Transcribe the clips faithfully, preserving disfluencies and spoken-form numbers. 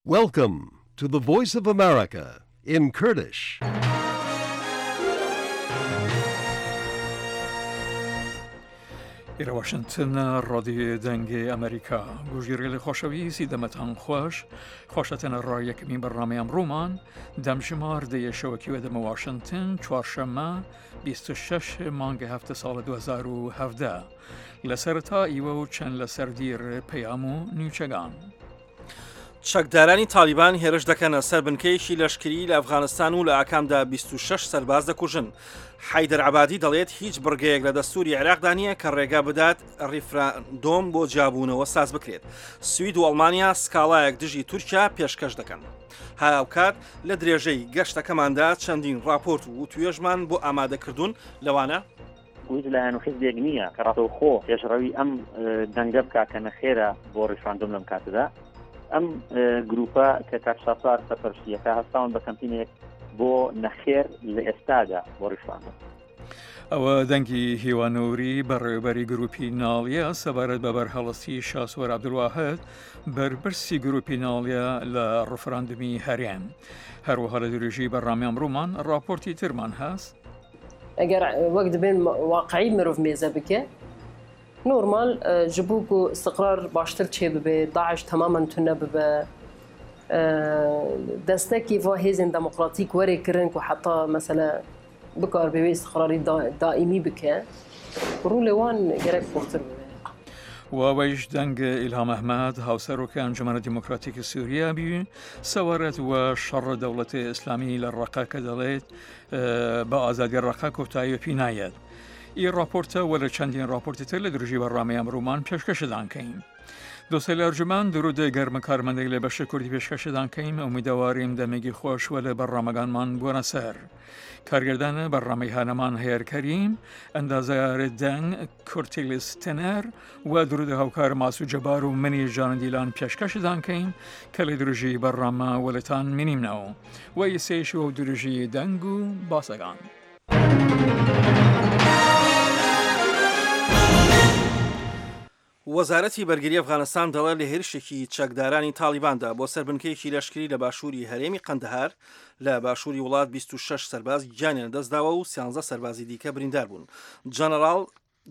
Welcome to the Voice of America in Kurdish. ئێرە واشنتن ڕادیۆ دەنگێ ئەمریکا گوژیرێ خۆشەویستی دەمەتان خوش خوشەتەنە ڕا یەکەمین بەرنامەی ئەمڕۆمان دەمژمار دەیە شەوەکی وە دەمە واشنتن چوارشەممە بیست و شەش مانگە هەفتە ساڵ دوو هەزار و هەڤدە لە سەرەتا ئیوە و چەند لە سەردیر پەیام و نیوچەگان. چەکدارانی تالیبان هێرش دەکەنە سەر بنکەیەکی لەشکری لە ئەفغانستان و لە ئاکامدا بیست و شەش سەرباز دەکوژن. حەیدەر عەبادی دەڵێت هیچ بڕگەیەک لە دەستوری عێراقدا نییە کە ڕێگا بدات ڕیفراندۆم بۆ جیابوونەوە ساز بکرێت. سوید و ئەڵمانیا سکاڵایەک دژی تورکیا پێشکەش دەکەن. هاوکات لە درێژەی گەشتەکەماندا چەندین راپۆرت و وتوێژمان بۆ ئامادەکردوون لەوانە هیچ لایەن و حیزبێک نییە کە ڕاستەوخۆ پێشڕەوی ئەم دەنگە بکا کە نەخێرە بۆ ڕیفراندۆم لەم کاتەدا. ئەم گروپە کە کاک شاسوار سەرپەرشتیەکە هەستاون بە کەمپینێک بۆ نەخێر لە ئێستادا بۆ ڕیفراندۆم. ئەوە دەنگی هیوانوری بەڕێوەبەری گروپی ناڵیە سەبارەت بە بەرهەڵستی شاسوار عەبدولواحد بەرپرسی گروپی ناڵیە لە ڕفراندمی هەرێم. هەروەها لە درێژی بەرنامەی ئەمڕۆمان راپۆرتی ترمان هەست. ئەگەر وەک دەبێن واقعی مرۆڤ مێزە بکە نۆرمال ji bo ku istiqrar baştir çê bibe, Daeş temamen tune bibe, destekî va hêzên demokratîk were kirin ku heta mesela bikaribe wê istiqrarî daîmî bike, rûlê wan gerek xurtir bibe. وەوەیش دەنگ ئیلهام ئەحمەد هاوسەرۆکە ئەنجومەنە دیموکراتیکی سووریا بی سەوارەت وە شەڕ دەوڵەتی ئیسلامی لە ڕەقە کە دەڵێت بە ئازادی ڕەقە کۆتایی پی نایەت. ئی راپۆرتە وە لە چەندین راپۆرتی تر لە درژی بەرنامەی ئەمڕۆمان پێشکەشدان کەین. دۆستەیل ئەرجومەن درود گەرمە کارمەندێک لە بەشە کوردی پێشکەشدان کەیم ئومیدەواریم دەمێکی خۆش وە لە بەرنامەگانمان بووەنە سەر. کارگردانە بەرنامەی هانەمان هەیەر کەریم، ئەندازیار دەنگ کورتیلیس تەنەر و درود هاوکار ماسو جەبار و منی ژانندیلان پێشکەشدان کەین کە لە درژی بەرنامە وەلتان منیمنەوە و ئیسێش و درژی دەنگ و باسەگان. وەزارەتی بەرگری ئەفغانستان دەڵێت لە هێرشێکی چەکدارانی تالیباندا بۆ سەر بنکەیەکی لەشکری لە باشووری هەرێمی قەندەهار لە باشووری وڵات بیست و شەش سەرباز گیانیان لەدەستداوە و سیانزە سەربازی دیکە بریندار بوون. جەنەراڵ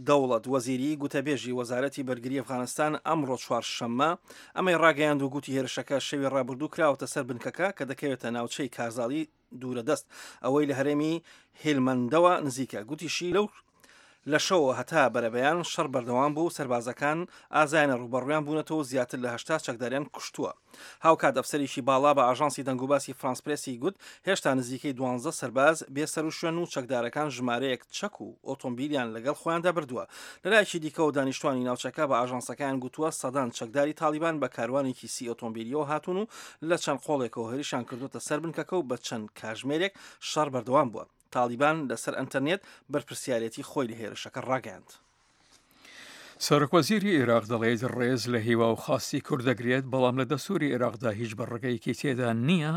دەوڵەت وەزیری گوتەبێژی وەزارەتی بەرگری ئەفغانستان ئەمڕۆ چوارشەممە ئەمەی ڕاگەیاند و گوتی هێرشەکە شەوی ڕابردوو کراوەتە سەر بنکەکە کە دەکەوێتە ناوچەی کارزاڵی دوورە دەست ئەوەی لە هەرێمی هێلمەندەوە نزیکە. گوتیشی لەو لە شەوە هەتا بەرەبەیان شەڕ بەردەوام بوو، سەربازەکان ئازایانە ڕووبەڕوویان بوونەتەوە زیاتر لە هەشتا چەکداریان کوشتووە. هاوکات ئەفسەرێکی باڵا بە ئاژانسی دەنگوباسی فرانس پرێسی گوت هێشتا نزیکەی دوانزە سەرباز بێسەر و شوێن و چەکدارەکان ژمارەیەک چەک و ئۆتۆمبیلیان لەگەڵ خۆیاندا بردووە. لەلایەکی دیکەوە دانیشتوانی ناوچەکە بە ئاژانسەکەیان گوتووە سەدان چەکداری تالیبان بە کاروانێکی سی ئۆتۆمبیلیەوە هاتوون و لە چەند قۆڵێکەوە هێرشیان کردوتە سەر بنکەکە و بە چەند کاژمێرێک شەڕ بەردەوام بووە. تالیبان لەسەر ئەنتەرنێت بەرپرسیارەتی خۆی لە هێرشەکە ڕاگەیاند. سەرۆکوەزیری عێراق دەڵێت ڕێز لە هیوا و خواستی کورد دەگرێت، بەڵام لە دەستوری عێراقدا هیچ بەڕگەیەکی تێدا نییە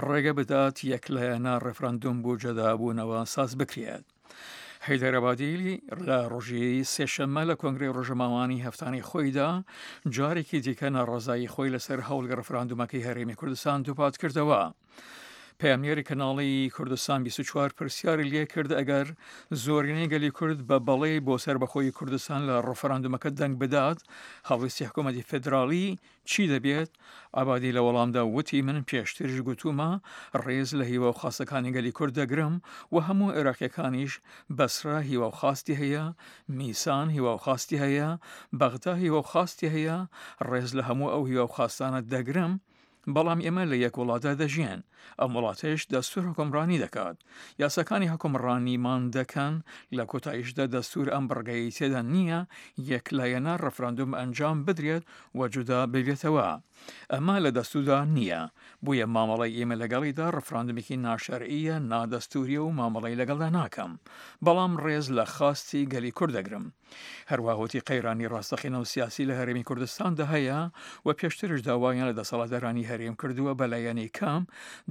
ڕێگە بدات یەکلایەنە ڕێفراندۆم بۆ جەدابوونەوە ساز بکرێت. حەیدەر عەبادی لە ڕۆژی سێشەممە لە کۆنگرەی ڕۆژەماوانی هەفتانەی خۆیدا جارێکی دیکە ناڕەزایی خۆی لەسەر هەوڵی ڕێفراندۆمەکەی هەرێمی کوردستان دووپات کردەوە. پەیامنێری کەناڵی کوردستان بیست و چوار پرسیاری لێ کرد ئەگەر زۆرینەی گەلی کورد بە بەڵێ بۆ سەربەخۆی کوردستان لە ڕفراندۆمەکە دەنگ بدات، هەڵوێستی حکوومەتی فێدراڵی چی دەبێت؟ عەبادی لە وەڵامدا وتی من پێشتریش گوتومە ڕێز لە هیوا و خواستەکانی گەلی کورد دەگرم و هەموو عێراقیەکانیش بەسرە هیوا و خواستی هەیە، میسان هیوا و خواستی هەیە، بەغدا هیوا و خواستی هەیە، ڕێز لە هەموو ئەو هیوا و خواستانە دەگرم، بەڵام ئێمە لە یەک وڵاتدا دەژیێن. ئەم وڵاتەش دەستور حکومڕانی دەکات، یاساکانی حکومڕانیمان دەکەن، لە کۆتاییشدا دەستور ئەم بڕگەی تێدا نییە یەکلایەنە ڕفراندۆم ئەنجام بدرێت و جودا ببێتەوە. ئەمە لە دەستوردا نییە، بۆیە مامەڵەی ئێمە لەگەڵیدا ڕفراندۆمێکی ناشەرعیە، نادەستوریە و مامەڵەی لەگەڵدا ناکەم، بەڵام ڕێز لە خواستی گەلی کورد دەگرم. هەروەها وتی قەیرانی ڕاستەقینە و سیاسی لە هەرێمی کوردستاندا هەیە و پێشترش داوایان لە دەسەڵاتدارانی هەرێم کردووە بەلایەنی کەم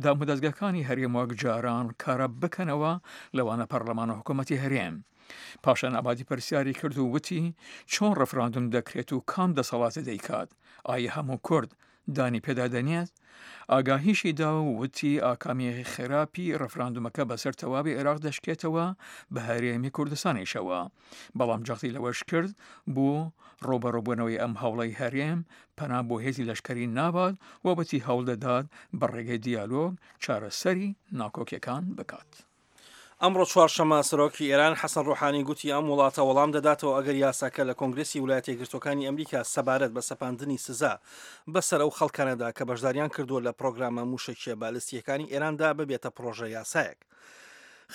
دامودەزگاکانی هەرێم وەک جاران کارە بکەنەوە، لەوانە پەرلەمان و حکوومەتی هەرێم. پاشان عەبادی پرسیاری کرد و وتی چۆن ڕفراندۆم دەکرێت و کام دەسەڵاتە دەیکات؟ ئایا هەموو کورد دانی پێدا دەنێت، ئاگاهیشی دا و وتی ئاکامی خراپی ڕفراندومەکە بەسەر تەواوی عێراق دەشکێتەوە بە هەرێمی کوردستانیشەوە، بەڵام جەختی لەوەش کرد بۆ ڕووبەڕووبوونەوەی ئەم هەوڵەی هەرێم پەنا بۆ هێزی لەشکەری نابات و وتی هەوڵ دەدات بە ڕێگەی دیالۆگ چارەسەری ناکۆکیەکان بکات. ئەمڕۆ چوارشەممە سەرۆکی ئێران حەسەن ڕۆحانی گوتی ئەم وڵاتە وەڵام دەداتەوە ئەگەر یاساکە لە کۆنگرسی ویلایەتە یەکگرتووەکانی ئەمریکا سەبارەت بە سەپاندنی سزا بەسەر ئەو خەڵکانەدا کە بەشداریان کردووە لە پرۆگرامە موشەکیە بالستیەکانی ئێراندا ببێتە پرۆژە یاسایەک.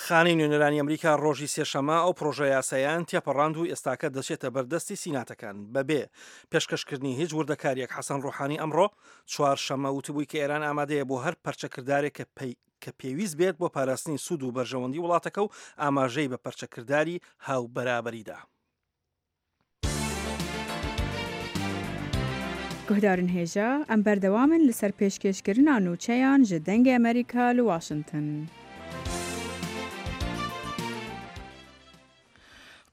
خانەی نوێنەرانی ئەمریکا ڕۆژی سێشەممە ئەو پرۆژە یاسایان تێپەڕاند و ئێستاکە دەچێتە بەردەستی سیناتەکان بەبێ پێشکەشکردنی هیچ وردەکاریەک. حەسەن ڕۆحانی ئەمڕۆ چوارشەممە وتبووی کە ئێران ئامادەیە بۆ هەر پەرچەکردارێک کە پەی کە پێویست بێت بۆ پاراستنی سوود و بەرژەوەندی وڵاتەکە و ئاماژەی بە پەرچەکرداری هاوبەرابەریدا. Guhdarên hêja, em berdewam in li ser pêşkêşkirina nûçeyan ji Dengê Amerîka li Washington.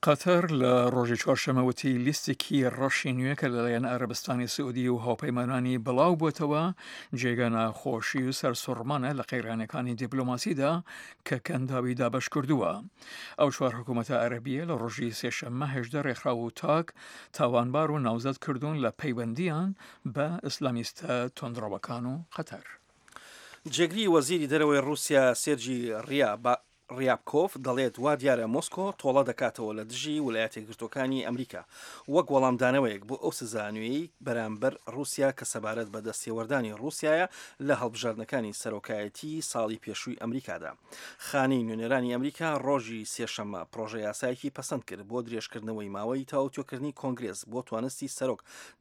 قەتەر لە ڕۆژی چوارشەممە وتی لیستێکی ڕەشی نوێ کە لەلایەن عەرەبستانی سعودی و هاوپەیمانانی بڵاو بووەتەوە جێگە ناخۆشی و سەرسوڕمانە لە قەیرانەکانی دیپلۆماسیدا کە کەنداوی دابەش کردووە. ئەو چوار حکوومەتە عەرەبیە لە ڕۆژی سێشەممە هەژدە ڕێکخراو و تاک تاوانبار و ناوزەد کردوون لە پەیوەندیان بە ئیسلامیستە توندڕەوەکان و قەتەر. جێگری وەزیری دەرەوەی ڕووسیا سێرجی ڕیا ڕیابکۆف دەڵێت وا دیارە مۆسکۆ تۆڵە دەکاتەوە لە دژی ویلایەتە یەکگرتووەکانی ئەمریکا وەک وەڵامدانەوەیەک بۆ ئەو سزا نوێی بەرامبەر ڕووسیا کە سەبارەت بە دەستێوەردانی ڕووسیایە لە هەڵبژاردنەکانی سەرۆکایەتی ساڵی پێشووی ئەمریکادا. خانەی نوێنەرانی ئەمریکا ڕۆژی سێشەممە پرۆژە یاسایەکی پەسەند کرد بۆ درێژکردنەوەی ماوەی تاوتوێکردنی کۆنگرێس بۆ توانستی سەرۆک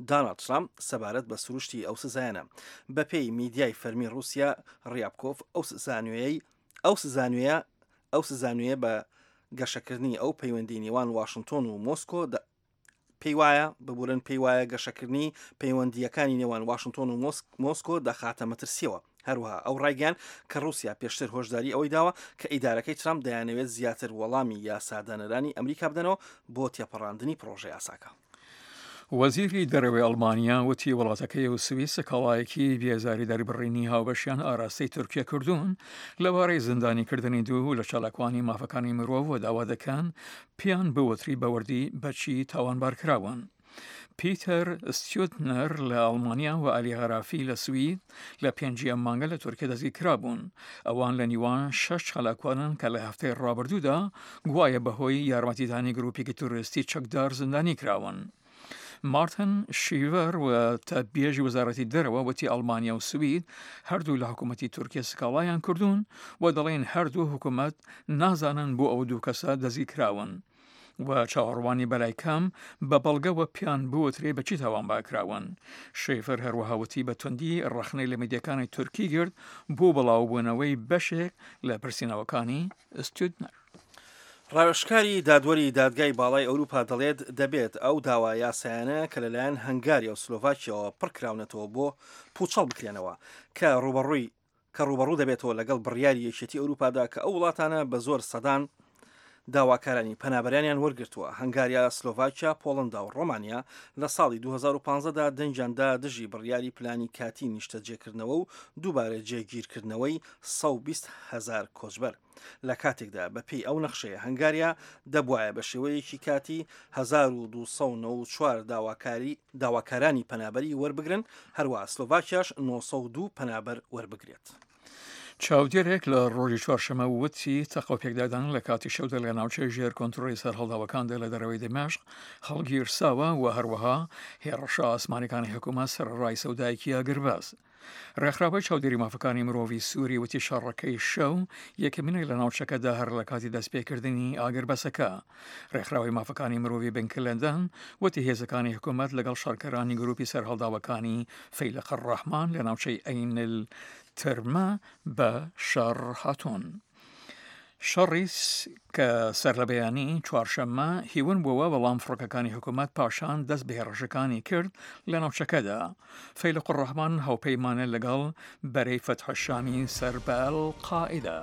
داناڵد ترامپ سەبارەت بە سروشتی ئەو سزایانە. بەپێی میدیای فەرمی ڕووسیا ڕیابکۆف ئەو سزا نوێیەی ئەو سزا نوێیە ئەو سزا نوێیە بە گەشەکردنی ئەو پەیوەندی نێوان واشنگتۆن و مۆسکۆ پێی وایە ببورن پێی وایە گەشەکردنی پەیوەندییەکانی نێوان واشنگتۆن و مۆسکۆ دەخاتە مەترسیەوە. هەروەها ئەو ڕایگەیان کە ڕووسیا پێشتر هۆشداری ئەوەی داوە کە ئیدارەکەی ترامپ دەیانەوێت زیاتر وەڵامی یاسادانەرانی ئەمریکا بدەنەوە بۆ تێپەڕاندنی پرۆژە یاساکە. وەزیری دەرەوەی ئەڵمانیا وتی وڵاتەکەی و سوئیس سکاڵایەکی بێزاری دەربڕینی هاوبەشیان ئاراستەی تورکیا کردوون لەبارەی زیندانیکردنی دوو لە چالاکوانی مافەکانی مرۆڤ و داوا دەکەن پێیان بوتری بەوردی بەچی تاوانبار کراون. پیتەر ستیوتنەر لە ئەڵمانیا و عەلی غەرافی لە سوید لە پێنجی ئەم مانگە لە تورکیا دەستگیرکرابوون. ئەوان لە نیوان شەش چالاکوانن کە لە هەفتەی ڕابردوودا گوایە بەهۆی یارمەتیدانی گروپێکی تیرۆریستی چەکدار زیندانی کراون. مارتن شیڤەر وتەبێژی وەزارەتی دەرەوە وتی ئەڵمانیا و سوید هەردوو لە حکوومەتی تورکیا سکاڵایان کردوون و دەڵێن هەردوو حکوومەت نازانن بۆ ئەو دوو کەسە دەستگیرکراون و چاوەڕوانی بەلای کەم بە بەڵگەوە پیان بوترێ بە چی تاوانبار کراون. شیفەر هەروەها وتی بە توندی ڕەخنەی لە میدیاکانی تورکی گرت بۆ بڵاوبوونەوەی بەشێک لە پرسینەوەکانی ستودنەر. ڕاوێژکاری دادوەری دادگای باڵای ئەوروپا دەڵێت دەبێت ئەو داوا یاسایانە کە لەلایەن هەنگاریا و سلۆڤاکیاوە پڕکراونەتەوە بۆ پوچەڵ بکرێنەوە کە ڕوبەڕووی کە ڕوبەڕوو دەبێتەوە لەگەڵ بڕیاری یەکێتی ئەوروپادا کە ئەو وڵاتانە بە زۆر سەدان داواکارانی پەنابەرانیان وەرگرتووە. هەنگاریا، سلۆڤاکیا، پۆڵندا و ڕۆمانیا لە ساڵی دوو هەزار و پازدە دا دەنگیان دا دژی بڕیاری پلانی کاتی نیشتەجێکردنەوە و دووبارە جێگیرکردنەوەی سەد و بیست هەزار کۆچبەر. لە کاتێکدا بەپێی ئەو نەخشەیە هەنگاریا دەبوایە بە شێوەیەکی کاتی هەزار و دوو سەد و نەوەد و چوار داواکاری داواکارانی پەنابەری وەربگرن، هەروەها سلۆڤاکیاش نۆ سەد و دوو پەنابەر وەربگرێت. چاودێرێک لە ڕۆژی چوارشەممە وتی تەقە و پێکدادان لە کاتی شەودا لە ناوچەی ژێر کۆنترۆڵی سەرهەڵداوەکاندا لە دەرەوەی دەمشق هەڵگیرساوە و هەروەها هێڕشە ئاسمانەکانی حکوومەت سەرەڕای سەودایەکی ئاگربەست. ڕێکخراوەی چاودێری مافەکانی مرۆڤی سووری وتی شەڕەکەی شەو یەکەمینە لە ناوچەکەدا هەر لە کاتی دەستپێکردنی ئاگربەسەکە. ڕێکخراوەی مافەکانی مرۆڤی بنکە لەندەن وتی هێزەکانی حکوومەت لەگەڵ شەڕکەرانی گروپی سەرهەڵداوەکانی فەیلەق الڕەحمان لە ناوچەی عەین الترمە بە شەڕ هاتوون. شەڕی کە سەرلەبەیانی چوارشەممە هیون بووە، بەڵام فڕۆکەکانی حکوومەت پاشان دەست بە هێڕشەکانی کرد لە ناوچەکەدا. فەیلەق الڕەحمان هاوپەیمانە لەگەڵ بەرەی فەتح الشامی سەر بە ئەلقاعیدە.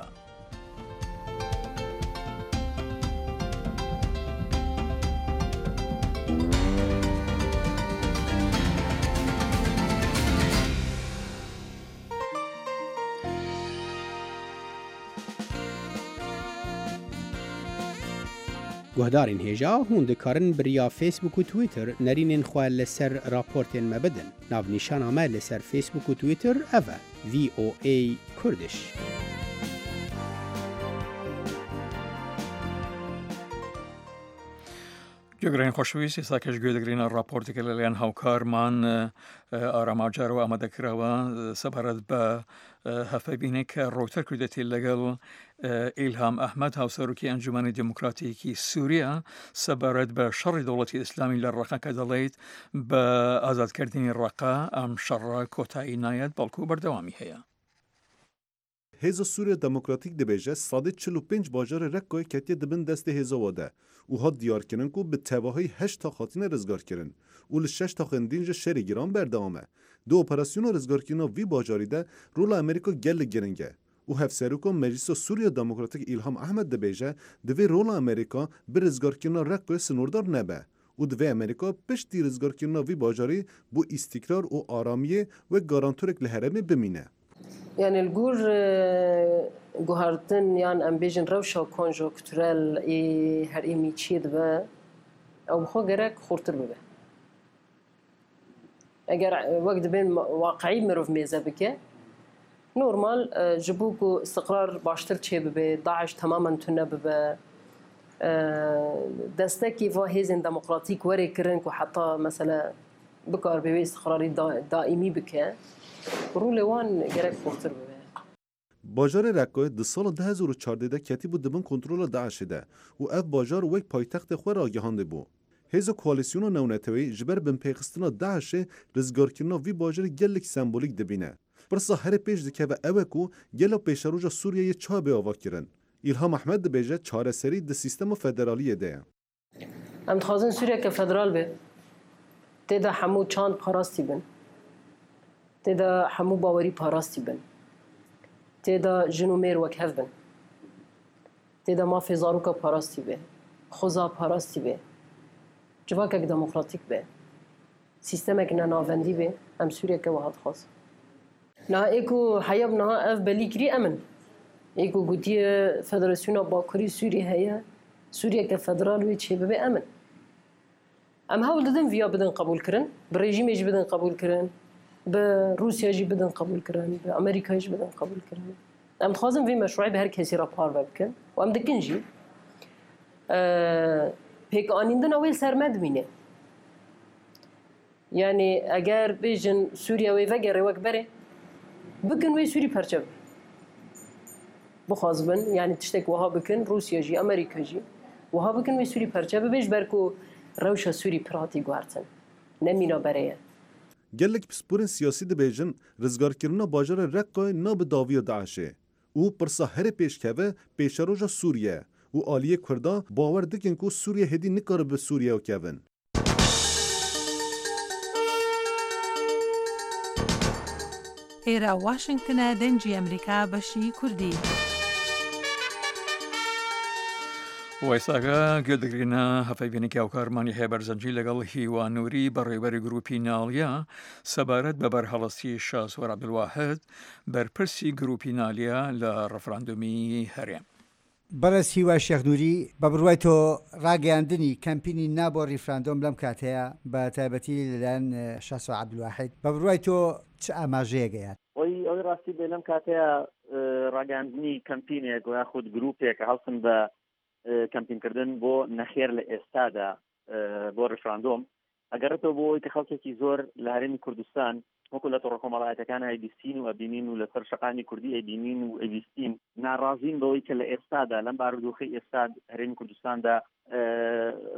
Guhdarên hêja hûn dikarin bi riya Facebook û Twitter nerînên xwe li ser raportên me bidin. Navnîşana me li ser Facebook û Twitter ev e: V O A Kurdish. گوێگرانی خۆشەویست، ئێستاکەش گوێ دەگرینە راپۆرتێکە لەلایەن هاوکارمان ئارام ئاجارەوە ئامادەکراوە سەبارەت بە هەفەبینێک کە ڕۆیتەر کردێتی لەگەڵ ئیلهام ئەحمەد، هاوسەرۆکی ئەنجومەنی دیموکراتیکی سووریا، سەبارەت بە شەڕی دەوڵەتی ئیسلامی لە ڕەقە کە دەڵێت بە ئازادکردنی ڕەقە ئەم شەڕە کۆتایی نایەت بەڵکو بەردەوامی هەیە. Hêza Sûriya Demokratîk dibêje sedê çil û pênc bajarê Rekkayê ketiye di bin destê hêza we de û hat diyarkirin ku bi tevahî heşt tax hatine rizgarkirin û li şeş taxên din ji şerê giran berdewam e. Di operasyona rizgarkirina vî bajarî de rola Amerîka gelek giring e û Hevseroka Meclisa Sûriya Demokratîk Îlham Ehmed dibêje divê rola Amerîka bi rizgarkirina Rekkayê sinordar nebe û divê Amerîka piştî rizgarkirina vî bajarî bo îstîkrar û aramiyê wek garantorek li herêmê bimîne. Yani li gor guhertin yan em bêjin rewşa konjonkturel ê herêmî çê dibe, ew bi xwe gerek xurtir bibe. Eger wek dibên waqeî mirov mêze bike, normal ji bo ku istiqrar baştir çê bibe, Daeş temamen tune bibe, destekî va hêzên demokratîk were kirin ku heta mesela bikaribe wê istiqrarî daîmî bike, rolê wan gerek xurtir bibe. Bajarê Rekkayê di sala du hezar û çardeh de ketibû di bin kontrola Daeşê de û ev bajar wek paytextê xwe ragihandibû. Hêza Koalîsyona Navneteweyî ji ber binpêxistina Daeşê rizgarkirina vî bajarê gelek sembolîk dibîne. Pirsa herî pêş dikeve ew e ku gelo pêşeroja Sûriyeyê çawa bê avakirin. Îlham Ehmed dibêje çareserî di sîstema federaliyê de ye. Em dixwazin Sûriyeke federal be, tê de hemû çand parastî bin, tê de hemû bawerî parastî bin, tê de jin û mêr wek hev bin, tê de mafê zaroka parastî be, xweza parastî be, civakek demokratîk be, sîstemek nenavendî be, em Sûriyeke wiha dixwazin. Niha ê ku heya bi niha ev belî kirî em in. Ê ku gotiye Federasyona Bakurî Sûriyê heye, Sûriyeke federal wê çê bibe em in. Em hewl didin viya bidin qebûlkirin, bi rejîmê jî bidin qebûlkirin, bi Rûsya jî bidin qebûlkirin, bi Amerîkayê jî bidin qebûlkirin. Em dixwazin vê meşrueyê bi her kesî re parve bikin û em dikin jî. Pêkanîndina wê li ser me dimîne. Yani eger bêjin Sûriye wê vegere wek berê, bikin wê Sûrî perçe bibe. Bixwazibin, yani tiştek wiha bikin, Rûsya jî, Amerîka jî wiha bikin wê Sûrî perçe bibe ji ber ku rewşa Sûrî pir hatî guhertin. Ne mîna berê ye. Gelek pisporên siyasî dibêjin rizgarkirina bajarê Rekkayê nabe dawiya Daeşê û pirsa herî pêşkeve pêşeroja Sûriye û aliyê Kurda bawer dikin ku Sûriye hêdî nikaribe Sûriyeya kevin. ئێرە واشنگتنە، دەنگی ئەمریکا، بەشی کوردی. وەیساگە گوێ دەگرینە هەفەیبینێکی هاوکارمانی هەیە بەرزەنجی لەگەڵ هیوا نووری بەڕێوەبەری گروپی ناڵیا سەبارەت بە بەرهەڵستی شاسوار عەبدولواحد بەرپرسی گروپی نالیا لە ڕفراندۆمی هەرێم. بەڕێز هیوا شێخ نووری، بە بڕوای تۆ ڕاگەیاندنی کەمپینی نا بۆ ڕیفراندۆم لەم کاتەیە بە تایبەتی لەلایەن شاسوار عەبدولواحد، بە بڕوای تۆ چ ئاماژەیەک ئەیات؟ ئەوەی ئەوەی ڕاستی بێ لەم کاتەیە ڕاگەیاندنی کەمپینێک و یاخود گروپێک هەڵسن بە کەمپینکردن بۆ نەخێر لە ئێستادا بۆ ڕیفراندۆم، ئەگەڕێتەوە بۆ ئەوەی کە خەڵکێکی زۆر لە هەرێمی کوردستان وەکو لە تۆڕە کۆمەڵایەتەکان ئەیبیستین و ئەبینین و لەسەر شەقامی کوردی ئەیبینین و ئەیبیستین، ناڕازین بەوەی کە لە ئێستادا لەم بارودۆخەی ئێستا هەرێمی کوردستاندا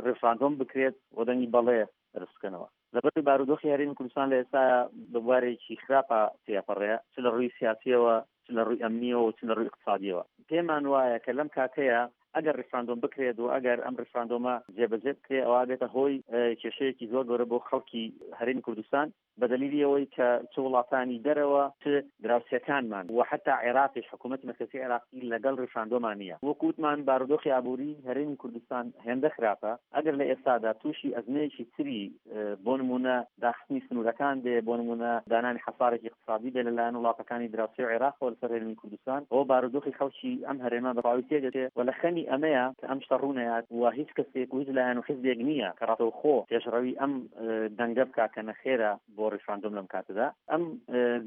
ڕیفراندۆم بکرێت و دەنگی بەڵێ بەرز بکەنەوە. لەبەر بارودۆخی هەرێمی کوردستان لە ئێستا بە بوارێکی خراپە تێپەڕێ، چ لە ڕووی سیاسیەوە، چ لە ڕووی ئەمنیەوە، چ لە ڕووی اقتصادیەوە. پێمان وایە کە لەم کاتەیە ئەگەر ڕیفراندۆم بکرێت و ئەگەر ئەم ڕیفراندۆمە جێبەجێ بکرێت، ئەوە بێتە هۆی کێشەیەکی زۆر گەورە بۆ خەڵکی هەرێمی کوردستان، بە دەلیلی ئەوەی کە چ وڵاتانی دەرەوە، چ دراوسێکانمان و حتا عێراقیش، حکوومەتی مەرکەزی عێراقی لەگەڵ ڕیفراندۆمان نییە. وەکو وتمان بارودۆخی ئابووری هەرێمی کوردستان هێندە خراپە، ئەگەر لە ئێستادا تووشی ئەزمەیەکی تری بۆ نمونە داخستنی سنوورەکان بێ، بۆ نمونە دانانی حەسارێکی اقتصادی بێ لەلایەن وڵاتەکانی دراوسێ و عێراقەوە لەسەر هەرێمی کوردستان، ئەوە بارودۆخی خەڵکی ئەم هەرێمە بە تەواوی تێدەچێ و لە خەمی خەمەکانی ئەمەیە کە ئەم شتە ڕوونەیات و هیچ کەسێک و هیچ لایەن و حیزبێک نییە کە ڕاستەوخۆ پێشڕەوی ئەم دەنگە بکا کە نەخێرە بۆ ڕیفراندۆم لەم کاتەدا. ئەم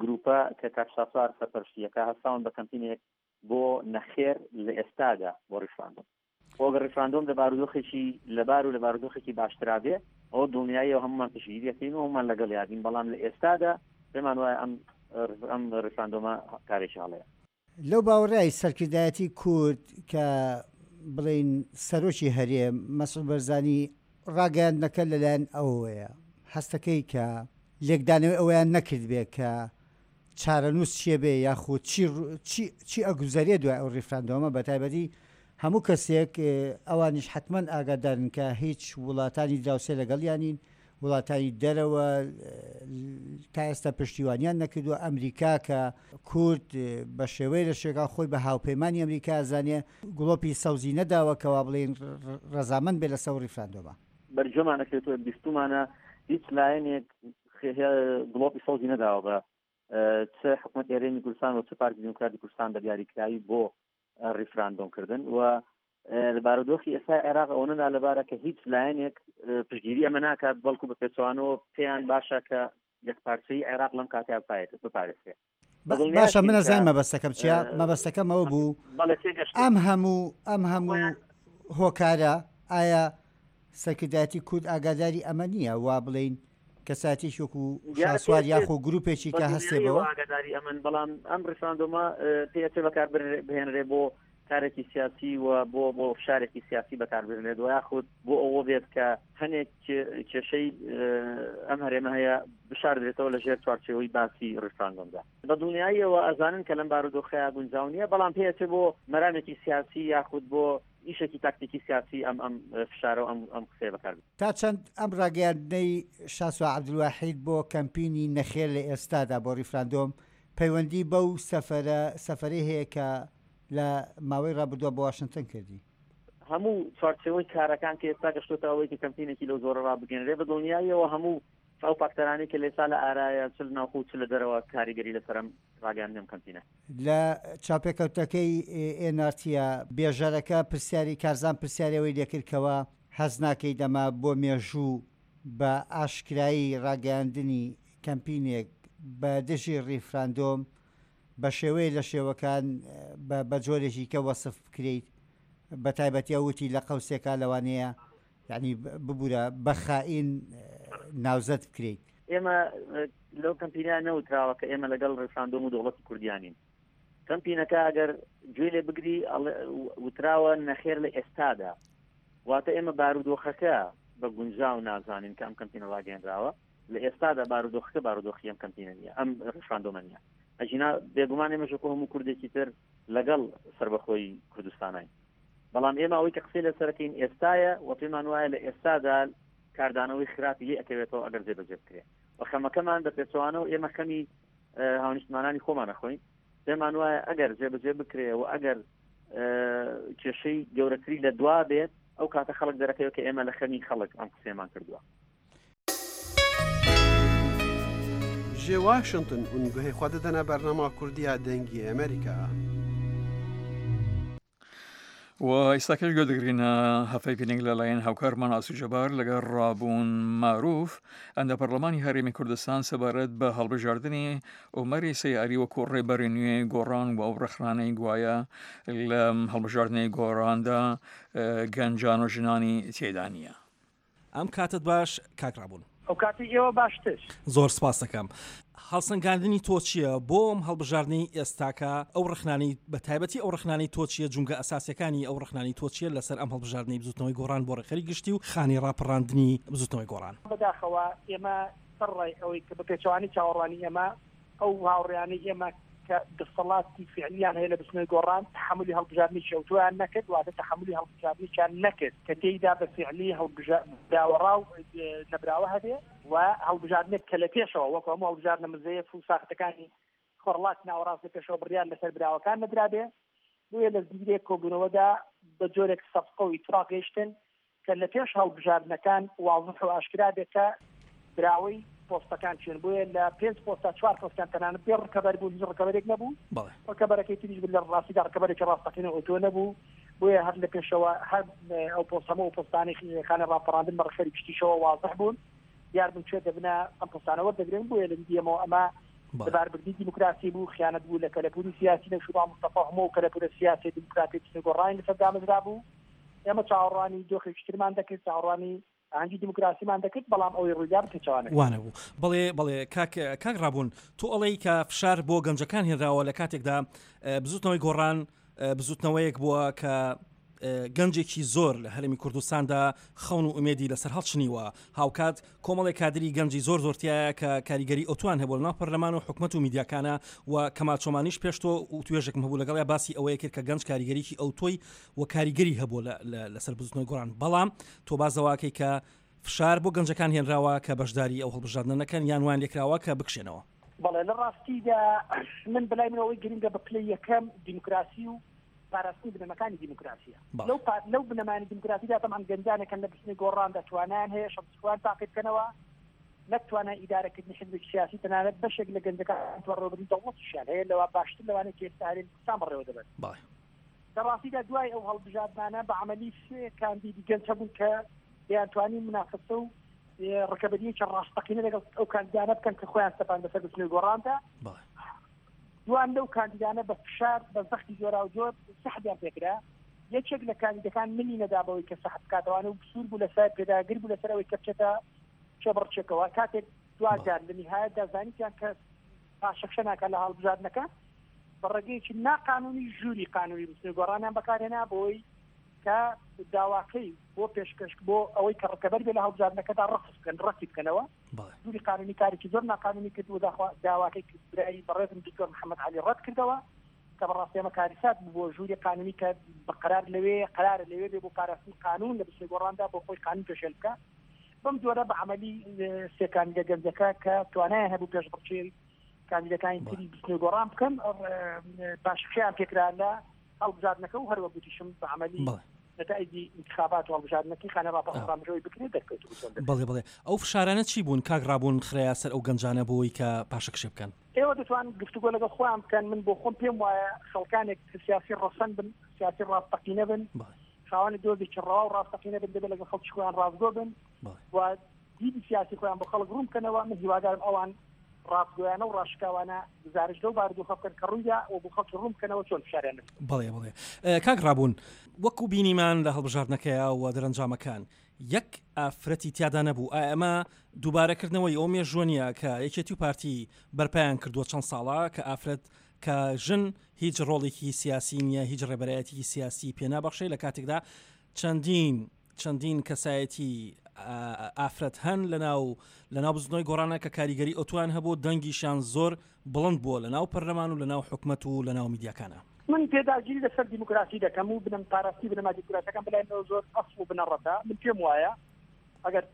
گروپە کە کاک شاسوار سەرپەرشتیەکە هەستاون بە کەمپینێک بۆ نەخێر لە ئێستادا بۆ ڕیفراندۆم. خۆ ئەگەر ڕیفراندۆم لە بارودۆخێکی لەبار و لە بارودۆخێکی باشترا بێ ئەوە دڵنیاییەوە هەمومان پشتگیری دەکەین و هەمومان لەگەڵ یادین، بەڵام لە ئێستادا پێمان وایە ئەم ئەم ڕیفراندۆمە کارێکی هەڵەیە. لەو باوەڕای سەرکردایەتی کورد کە بڵێین سەرۆکی هەرێم مەسعود بەرزانی ڕاگەیاندنەکە لەلایەن ئەوەیە هەستەکەی کە لێکدانەوەی ئەوەیان نەکردبێ کە چارەنووس چیە بێ یاخود چی چی چی ئەگوزەرێ دوای ئەو ڕیفراندۆمە، بەتایبەتی هەموو کەسێک ئەوانیش حەتمەن ئاگادارن کە هیچ وڵاتانی دراوسێ لەگەڵیانین، وڵاتانی دەرەوە تا ئێستا پشتیوانیان نەکردووە، ئەمریکا کە کورد بە شێوەیە لە شێوەکان خۆی بە هاوپەیمانی ئەمریکا زانێ گڵۆپی سەوزی نەداوە کەوا بڵێن ڕەزامەند بێ لەسەر ڕیفراندۆمە. بەرجۆمان ئەکرێتەوە بیستومانە هیچ لایەنێک گڵۆپی سەوزی نەداوە بە چ حکوومەتی هەرێمی کوردستان و چ پارتی دیموکراتی کوردستان بە دیاریکراوی بۆ ڕیفراندۆم کردن و لە بارودۆخی ئێستا عێراق ئەوە نالەبارە کە هیچ لایەنێک پشتگیری ئەمە ناکات، بەڵکو بە پێچەوانەوە پێیان باشە کە یەکپارچەی عێراق لەم کاتەیا بپارێزرێت. باشە من ئەزانم مەبەستەکەم چییە، مەبەستەکەم ئەوە بوو ئەم هەموو ئەم هەموو هۆکارە ئایا سەرکردایەتی کورد ئاگاداری ئەمە نییە وا بڵێین کەساتێکی وەکو شاسوار یاخۆ گروپێکی کە هەستێ بەوە؟ ئاگاداری ئەمن، بەڵام ئەم ڕیفراندۆمە پێچێ بەکار بهێنرێ بۆ کارێکی سیاسی و بۆ بۆ فشارێکی سیاسی بەکاربهێنرێت و یاخود بۆ ئەوە بێت کە هەنێک کێشەی ئەم هەرێمە هەیە بشاردرێتەوە لە ژێر چوارچێوەی باسی ڕیفراندۆمدا. بە دڵنیاییەوە ئەزانن کە لەم بارودۆخەیە گونجاو نییە، بەڵام پێچێ بۆ مەرامێکی سیاسی یاخود بۆ ئیشێکی تاکتیکی سیاسی ئەم ئەم فشارە و ئەم ئەم قسەیە بەکار بێت. تا چەند ئەم ڕاگەیاندنەی شاسوار عەبدولواحید بۆ کەمپینی نەخێر لە ئێستادا بۆ ڕیفراندۆم پەیوەندی بەو سەفەرە سەفەرەی هەیە کە لە ماوەی ڕابردووە بۆ واشنگتن کردی؟ هەموو چوارچێوەی کارەکان کە ئێستا گەشتۆتە ئەوەی کە کەمپینێکی لەو زۆرە ڕابگەنرێ، بە دڵنیاییەوە هەموو ئەو فاکتەرانەی کە لێسا لە ئارایە چ لە ناوخۆ چ لە دەرەوە کاریگەری لەسەر ئەم ڕاگەیاندنی ئەم کەمپینە. لە چاپێکەوتەکەی ئێن ئار تیە بێژەرەکە پرسیاری کارزان پرسیاری ئەوەی لێکرد کەوا هەست ناکەیت ئەمە بۆ مێژوو بە ئاشکرایی ڕاگەیاندنی کەمپینێک بە دژی ڕیفراندۆم بە شێوەیە لە شێوەکان بە جۆرێکی کە وەسف بکرێیت، بە تایبەتی ئەو وتی لە قەوسێکا لەوانەیە یعنی ببوورە بە خائین ناوزەد بکرێیت. ئێمە لەو کەمپینە نەوتراوە کە ئێمە لەگەڵ ڕیفراندۆم و دەوڵەتی کوردیانین. کەمپینەکە ئەگەر گوێ لێ بگری وتراوە نەخێر لە ئێستادا، واتە ئێمە بارودۆخەکە بە گونجاو نازانین کە ئەم کەمپینە ڕاگەیەنراوە. لە ئێستادا بارودۆخەکە بارودۆخی ئەم کەمپینە نییە، ئەم ڕیفراندۆمە نییە. ئەژینا بێگومان ئێمەش وەکو هەموو کوردێکی تر لەگەڵ سەربەخۆی کوردستانین، بەڵام ئێمە ئەوەی کە قسەی لەسەرەکەین ئێستایە و پێمان وایە لە ئێستادا کاردانەوەی خراپی لێ ئەکەوێتەوە ئەگەر جێبەجێ بکرێت. و خەمەکەمان بە پێچەوانەوە ئێمە خەمی هاونیشتمانانی خۆمان ئەخۆین، پێمان وایە ئەگەر جێبەجێ بکرێ و ئەگەر کێشەی گەورەتری لە دوا بێت ئەو کاتە خەڵک دەرەکەوێت کە ئێمە لە خەمی خەڵک ئەم قسەیەمان کردووە. ji Washington hûn guhê xwe didine bernama Kurdiya Dengê Amerîka. و ئێستاکەش گوێ دەگرینە هەفتەی لەلایەن هاوکارمان ئاسو جەبار لەگەڵ ڕابوون ماروف ئەندە پەرلەمانی هەرێمی کوردستان سەبارەت بە هەڵبژاردنی عومەری سەیاری وەکو ڕێبەری نوێ گۆڕان و ئەو ڕەخنانەی گوایە لە هەڵبژاردنەی گۆڕاندا گەنجان و ژنانی تێدا نییە. ئەم کاتت باش کاک ڕابوون. ئەو کاتی ئێوە باشتر. زۆر سپاس دەکەم. هەڵسەنگاندنی تۆ چییە بۆ ئەم هەڵبژاردنەی ئێستاکە؟ ئەو ڕخنانەی بە تایبەتی ئەو ڕخنانەی تۆ چییە، جونگە ئەساسیەکانی ئەو ڕخنانەی تۆ چییە لەسەر ئەم هەڵبژاردنەی بزوتنەوەی گۆڕان بۆ ڕێکخەری گشتی و خانی ڕاپەڕاندنی بزوتنەوەی گۆڕان؟ بەداخەوە ئێمە سەرڕای ئەوەی کە بە پێچەوانەی چاوەڕوانی ئێمە ئەو هاوڕێیانەی ئێمە کە دەسەڵاتی فعلیان هەیە لە بزوتنەوەی گۆڕان تەحەمولی هەڵبژاردنێکی ئەوتۆیان نەکرد، واتە تەحەمولی هەڵبژاردنێکیان نەکرد کە تێیدا بە فعلی هەڵبژاوەڕاو نەبراوە هەبێ و هەڵبژاردنێک کە لە پێشەوە وەکو هەموو هەڵبژاردنە مزەیەف و ساختەکانی خۆڕڵات ناوەڕاست لە پێشەوە بڕیار لەسەر براوەکان نەدرابێ. بۆیە لە زنجیرەیەک کۆبوونەوەدا بە جۆرێک سەفقە و ئیتفاق گەیشتن کە لە پێش هەڵبژاردنەکان واضح و ئاشکرا بێت کە براوەی پۆستەکان چێن. بۆیە لە پێنج پۆستا چوار پۆستیان تەنانەت بێ ڕکەبەر بوو، هیچ ڕکەبەرێک نەبوو. ڕکەبەرەکەی تریش لە ڕاستیدا ڕکەبەرێکی ڕاستەقینە ئۆتۆ نەبوو. بۆیە هەر لە پێشەوە هەر ئەو پۆست هەموو ئەو پۆستانەی خانە ڕاپەڕاندن بە ڕێکخەری گشتیشەوە وازح بوون، دیار بوون کوێ دەبنە ئەم پۆستانە وەردەگرن. بۆیە لە دیدی ئێمەوە ئەمە لەباربردنی دیموکراسی بوو، خیانەت بوو لە کەلەپوری سیاسی نەوشیروان مستەفا، هەموو ئەو کەلەپورە سیاسی دیموکراتی گۆڕانی لەسەر دامەزرا بوو. ئێمە چاوەڕوانی دۆخێکی ترمان دەکرد، چاوەڕوانی ئاهەنگی دیموکراسیمان دەکرد، بەڵام ئەوەی ڕوویدا پێچەوانە وانە بوو. بەڵێ بەڵێ کاک کاک ڕابوون، تۆ ئەڵێی کە فشار بۆ گەنجەکان هێنراوە لە کاتێکدا بزوتنەوەی گۆڕان بزوتنەوەیەک بووە کە گەنجێکی زۆر لە هەرێمی کوردستاندا خەون و ئومێدی لەسەر هەڵچنیوە، هاوکات کۆمەڵێک کادری گەنجی زۆر زۆرتیایە کە کاریگەری ئەوتوان هەبوو لەناو پەرلەمان و حکومەت و میدیاکانە و کەمال چۆمانیش پێش تۆ وتوێژێکم هەبوو لەگەڵیا باسی ئەوەیە کرد کە گەنج کاریگەریی ئەوتۆی و کاریگەری هەبوو لەسەر بزوتنەوەی گۆڕان، بەڵام تۆ بازەواکەی کە فشار بۆ گەنجەکان هێنراوە کە بەشداری ئەو هەڵبژاردنە نەکەن یان وان لێکراوە کە بکشێنەوە. بەڵێ لە ڕاستیدا من بەلای منەوەی گرنگە بە پلەی یەکەم دیموکراسی و پاراستنی بنەماکانی دیموکراسیە. لەو لەو بنەمانی دیموکراسیدا تەبعەن گەنجانێکن لە بزوتنەوەی گۆڕاندا توانایان هەیە شەخسی خۆیان تاقی بکەنەوە، نەک توانای ئیدارەکردنی حزبێکی سیاسی، تەنانەت بەشێک لە گەنجەکان بەڕێوەبردنی دەوڵەتیشیان هەیە لەوە باشتر لەوانەیە کە ئێستا هەرێمی کوردستان بەڕێوە دەبەن. لە ڕاستیدا دوای ئەو هەڵبژاردنانە بە عەمەلی سێ کاندیدی گەنج هەبوون کە دەیانتوانی منافسە و ڕکەبەریەکی ڕاستەقینە لەگەڵ ئەو کاندیدانە بکەن کە خۆیان سەپان بەسەر بزوتنەوەی گۆڕاندا. دوان لەو کاندیدانە بە فشار بە زەختی جۆراوجۆر سەحبیان پێکرا. یەکێک لە کاندیدەکان ملی نەدا بەوەی کە سەحب بکاتەوانە و سوور بوو لەسەر پێداگر بوو لەسەر ئەوەی کە بچێتە چێبڕچێکەوە. کاتێک دواجار لە نهایەتدا زانیتیان کە پاشەکشە ناکات لە هەڵبژاردنەکە، بە ڕێگەیەکی ناقانونی ژووری قانونی بزوتنەوەی گۆڕانیان بەکارهێنا بۆی کە داواکەی بۆ پێشکەش بۆ ئەوەی کە ڕکەبەر بێ لە هەڵبژاردنەکەدا ڕەفز بکەن، ڕەتی بکەنەوە. ژووری قانونی کارێکی زۆر ناقانونی کرد و داواکەی برای بەڕێزم دکتۆر محەممەد عەلی ڕەت کردەوە کە بەڕاستی ئەمە کاریسات بوو بۆ ژووری قانونی کە بە قەرار لەوێ قەرارە لەوێ بێ بۆ پاراستنی قانون لە بزوتنەوەی گۆڕاندا بۆ خۆی قانون پێشێل بکە. بەم جۆرە بە عەمەلی سێ کاندیدە گەنجەکە کە توانایان هەبوو پێشبڕکێی کاندیدەکانی تری بزوتنەوەی گۆڕان بکەن پاشەکشەیان پێکرا لە هەڵبژاردنەکە و هەروەک گوتیشم بە عەمەلی نەتائیجی انتخابات و هەڵبژاردنەکەی خانە ڕاپەڕاندنەوەی بکرێت دەرکەوت. بەڵێ بەڵێ ئەو فشارانە چی بوون کاک ڕابوون خرایە سەر ئەو گەنجانە بۆی کە پاشەکشێ بکەن؟ ئێوە دەتوان گفتوگۆ لەگەڵ خۆیان بکەن. من بۆ خۆم پێم وایە خەڵکانێک کە سیاسی ڕەسەن بن، سیاسی ڕاستەقینە بن، خاوەنی دۆزێکی ڕەوا و ڕاستەقینە بن، دەبێت لەگەڵ خەڵکی خۆیان ڕاستگۆ بن و دیدی سیاسی خۆیان بۆ خەڵک ڕوون بکەنەوە. من هیوادارم ئەوان ڕاستگۆیانە و ڕاشکاوانە گزارش لەو بارودۆخە بکەن کە ڕوویدا و بۆ خەڵکی ڕوون بکەنەوە چۆن فشاریان لەسەر. بەڵێ بەڵێ کاک ڕابوون، وەکو بینیمان لە هەڵبژاردنەکەیا و دەرەنجامەکان یەک ئافرەتی تیادا نەبوو، ئایا ئەمە دووبارەکردنەوەی ئەو مێژووە نییە کە یەکێتی و پارتی بەرپایان کردووە چەند ساڵە کە ئافرەت کە ژن هیچ ڕۆڵێکی سیاسی نییە، هیچ ڕێبەرایەتیکی سیاسی پێ نابەخشێ، لە کاتێکدا چەندین چەندین کەسایەتی ئافرەت هەن لەناو لەناو بزوتنەوەی گۆڕانە کە کاریگەری ئەوتوان هەبوو، دەنگیشیان زۆر بڵند بووە لەناو پەرلەمان و لەناو حکومەت و لەناو میدیاکانە. من پێداگیری لەسەر دیموکراسی دەکەم و بنەم پاراستی بنەما دیموکراسیەکان بەلای منەوە زۆر ئەسڵ و بنەڕەتە. من پێم وایە ئەگەر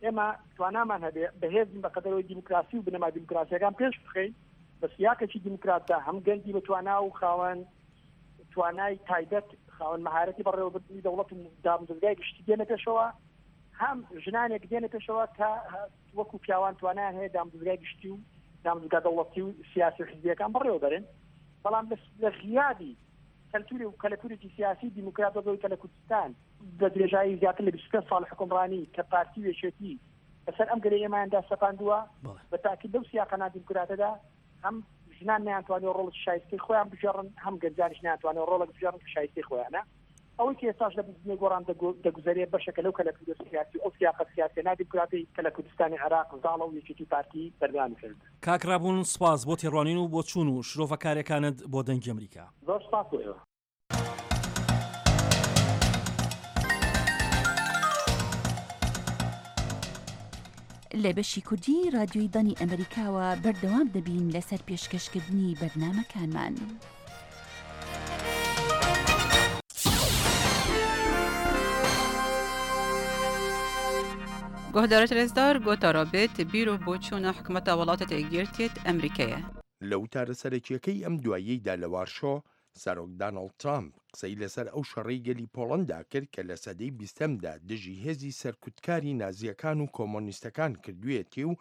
ئێمە توانامان هەبێ بەهێزین بە قەدەرەوەی دیموکراسی و بنەما دیموکراسیەکان پێش بخەین بە سیاقێکی دیموکراتدا، هەم گەنجی بە توانا و خاوەن توانای تایبەت، خاوەن مەهارەتی بەڕێوەبردنی دەوڵەت و دامودەزگای گشتی دێنە پێشەوە، هەم ژنانێک دێنە پێشەوە کە وەکو پیاوان توانایان هەیە دامودەزگای گشتی و دامودەزگا دەوڵەتی و سیاسی و حزبیەکان بەڕێوەبەرن. بەڵام لە غیابی کەلتوری و کەلەپورێکی سیاسی دیموکرات وەک کە لە کوردستان بە درێژایی زیاتر لە بیست و پێنج ساڵ حکومڕانی کە پارتی و یەکێتی بەسەر ئەم گەلەی ئێمەیاندا سەپاندووە، بە تاکید لەو سیاقە نادیموکراتەدا هەم ژنان نەیانتوانیوە ڕۆڵێکی شایستەی خۆیان بگێڕن، هەم گەنجانیش نەیانتوانیوە ڕۆڵێک بگێڕن کە شایستەی خۆیانە. ئەوەی کە ئێستاش لە بزوتنەوەی گۆڕان دەگوزەرێ بەشێکە لەو کەلەپورە سیاسی و ئەو سیاقە سیاسیە نادیموکراتەی کە لە کوردستانی عێراق زاڵە و یەکێتی پارتی بەردەوامی کرد. کاک ڕابوون سپاس بۆ تێڕوانین و بۆچوون و شرۆڤەکاریەکانت بۆ دەنگی ئەمریکا. زۆر سپاس بۆ ئێوە. لە بەشی کوردی رادیۆی دەنگی ئەمریکاوە بەردەوام دەبین لەسەر پێشکەشکردنی بەرنامەکانمان. گۆهدارت رێزدار گۆتارا بێت بیر و بۆچوونە حکومەتە وڵاتە یەکگرتیت ئەمریکایە. لە وتارە سەرەکییەکەی ئەم دواییەیدا لە وارشۆ، سەرۆک دانۆڵد ترامپ قسەی لەسەر ئەو شەڕەی گەلی پۆڵەندا کرد کە لە سەدەی بیستەمدا دژی هێزی سەرکوتکاری نازییەکان و کۆمۆنیستەکان کردوویەتی و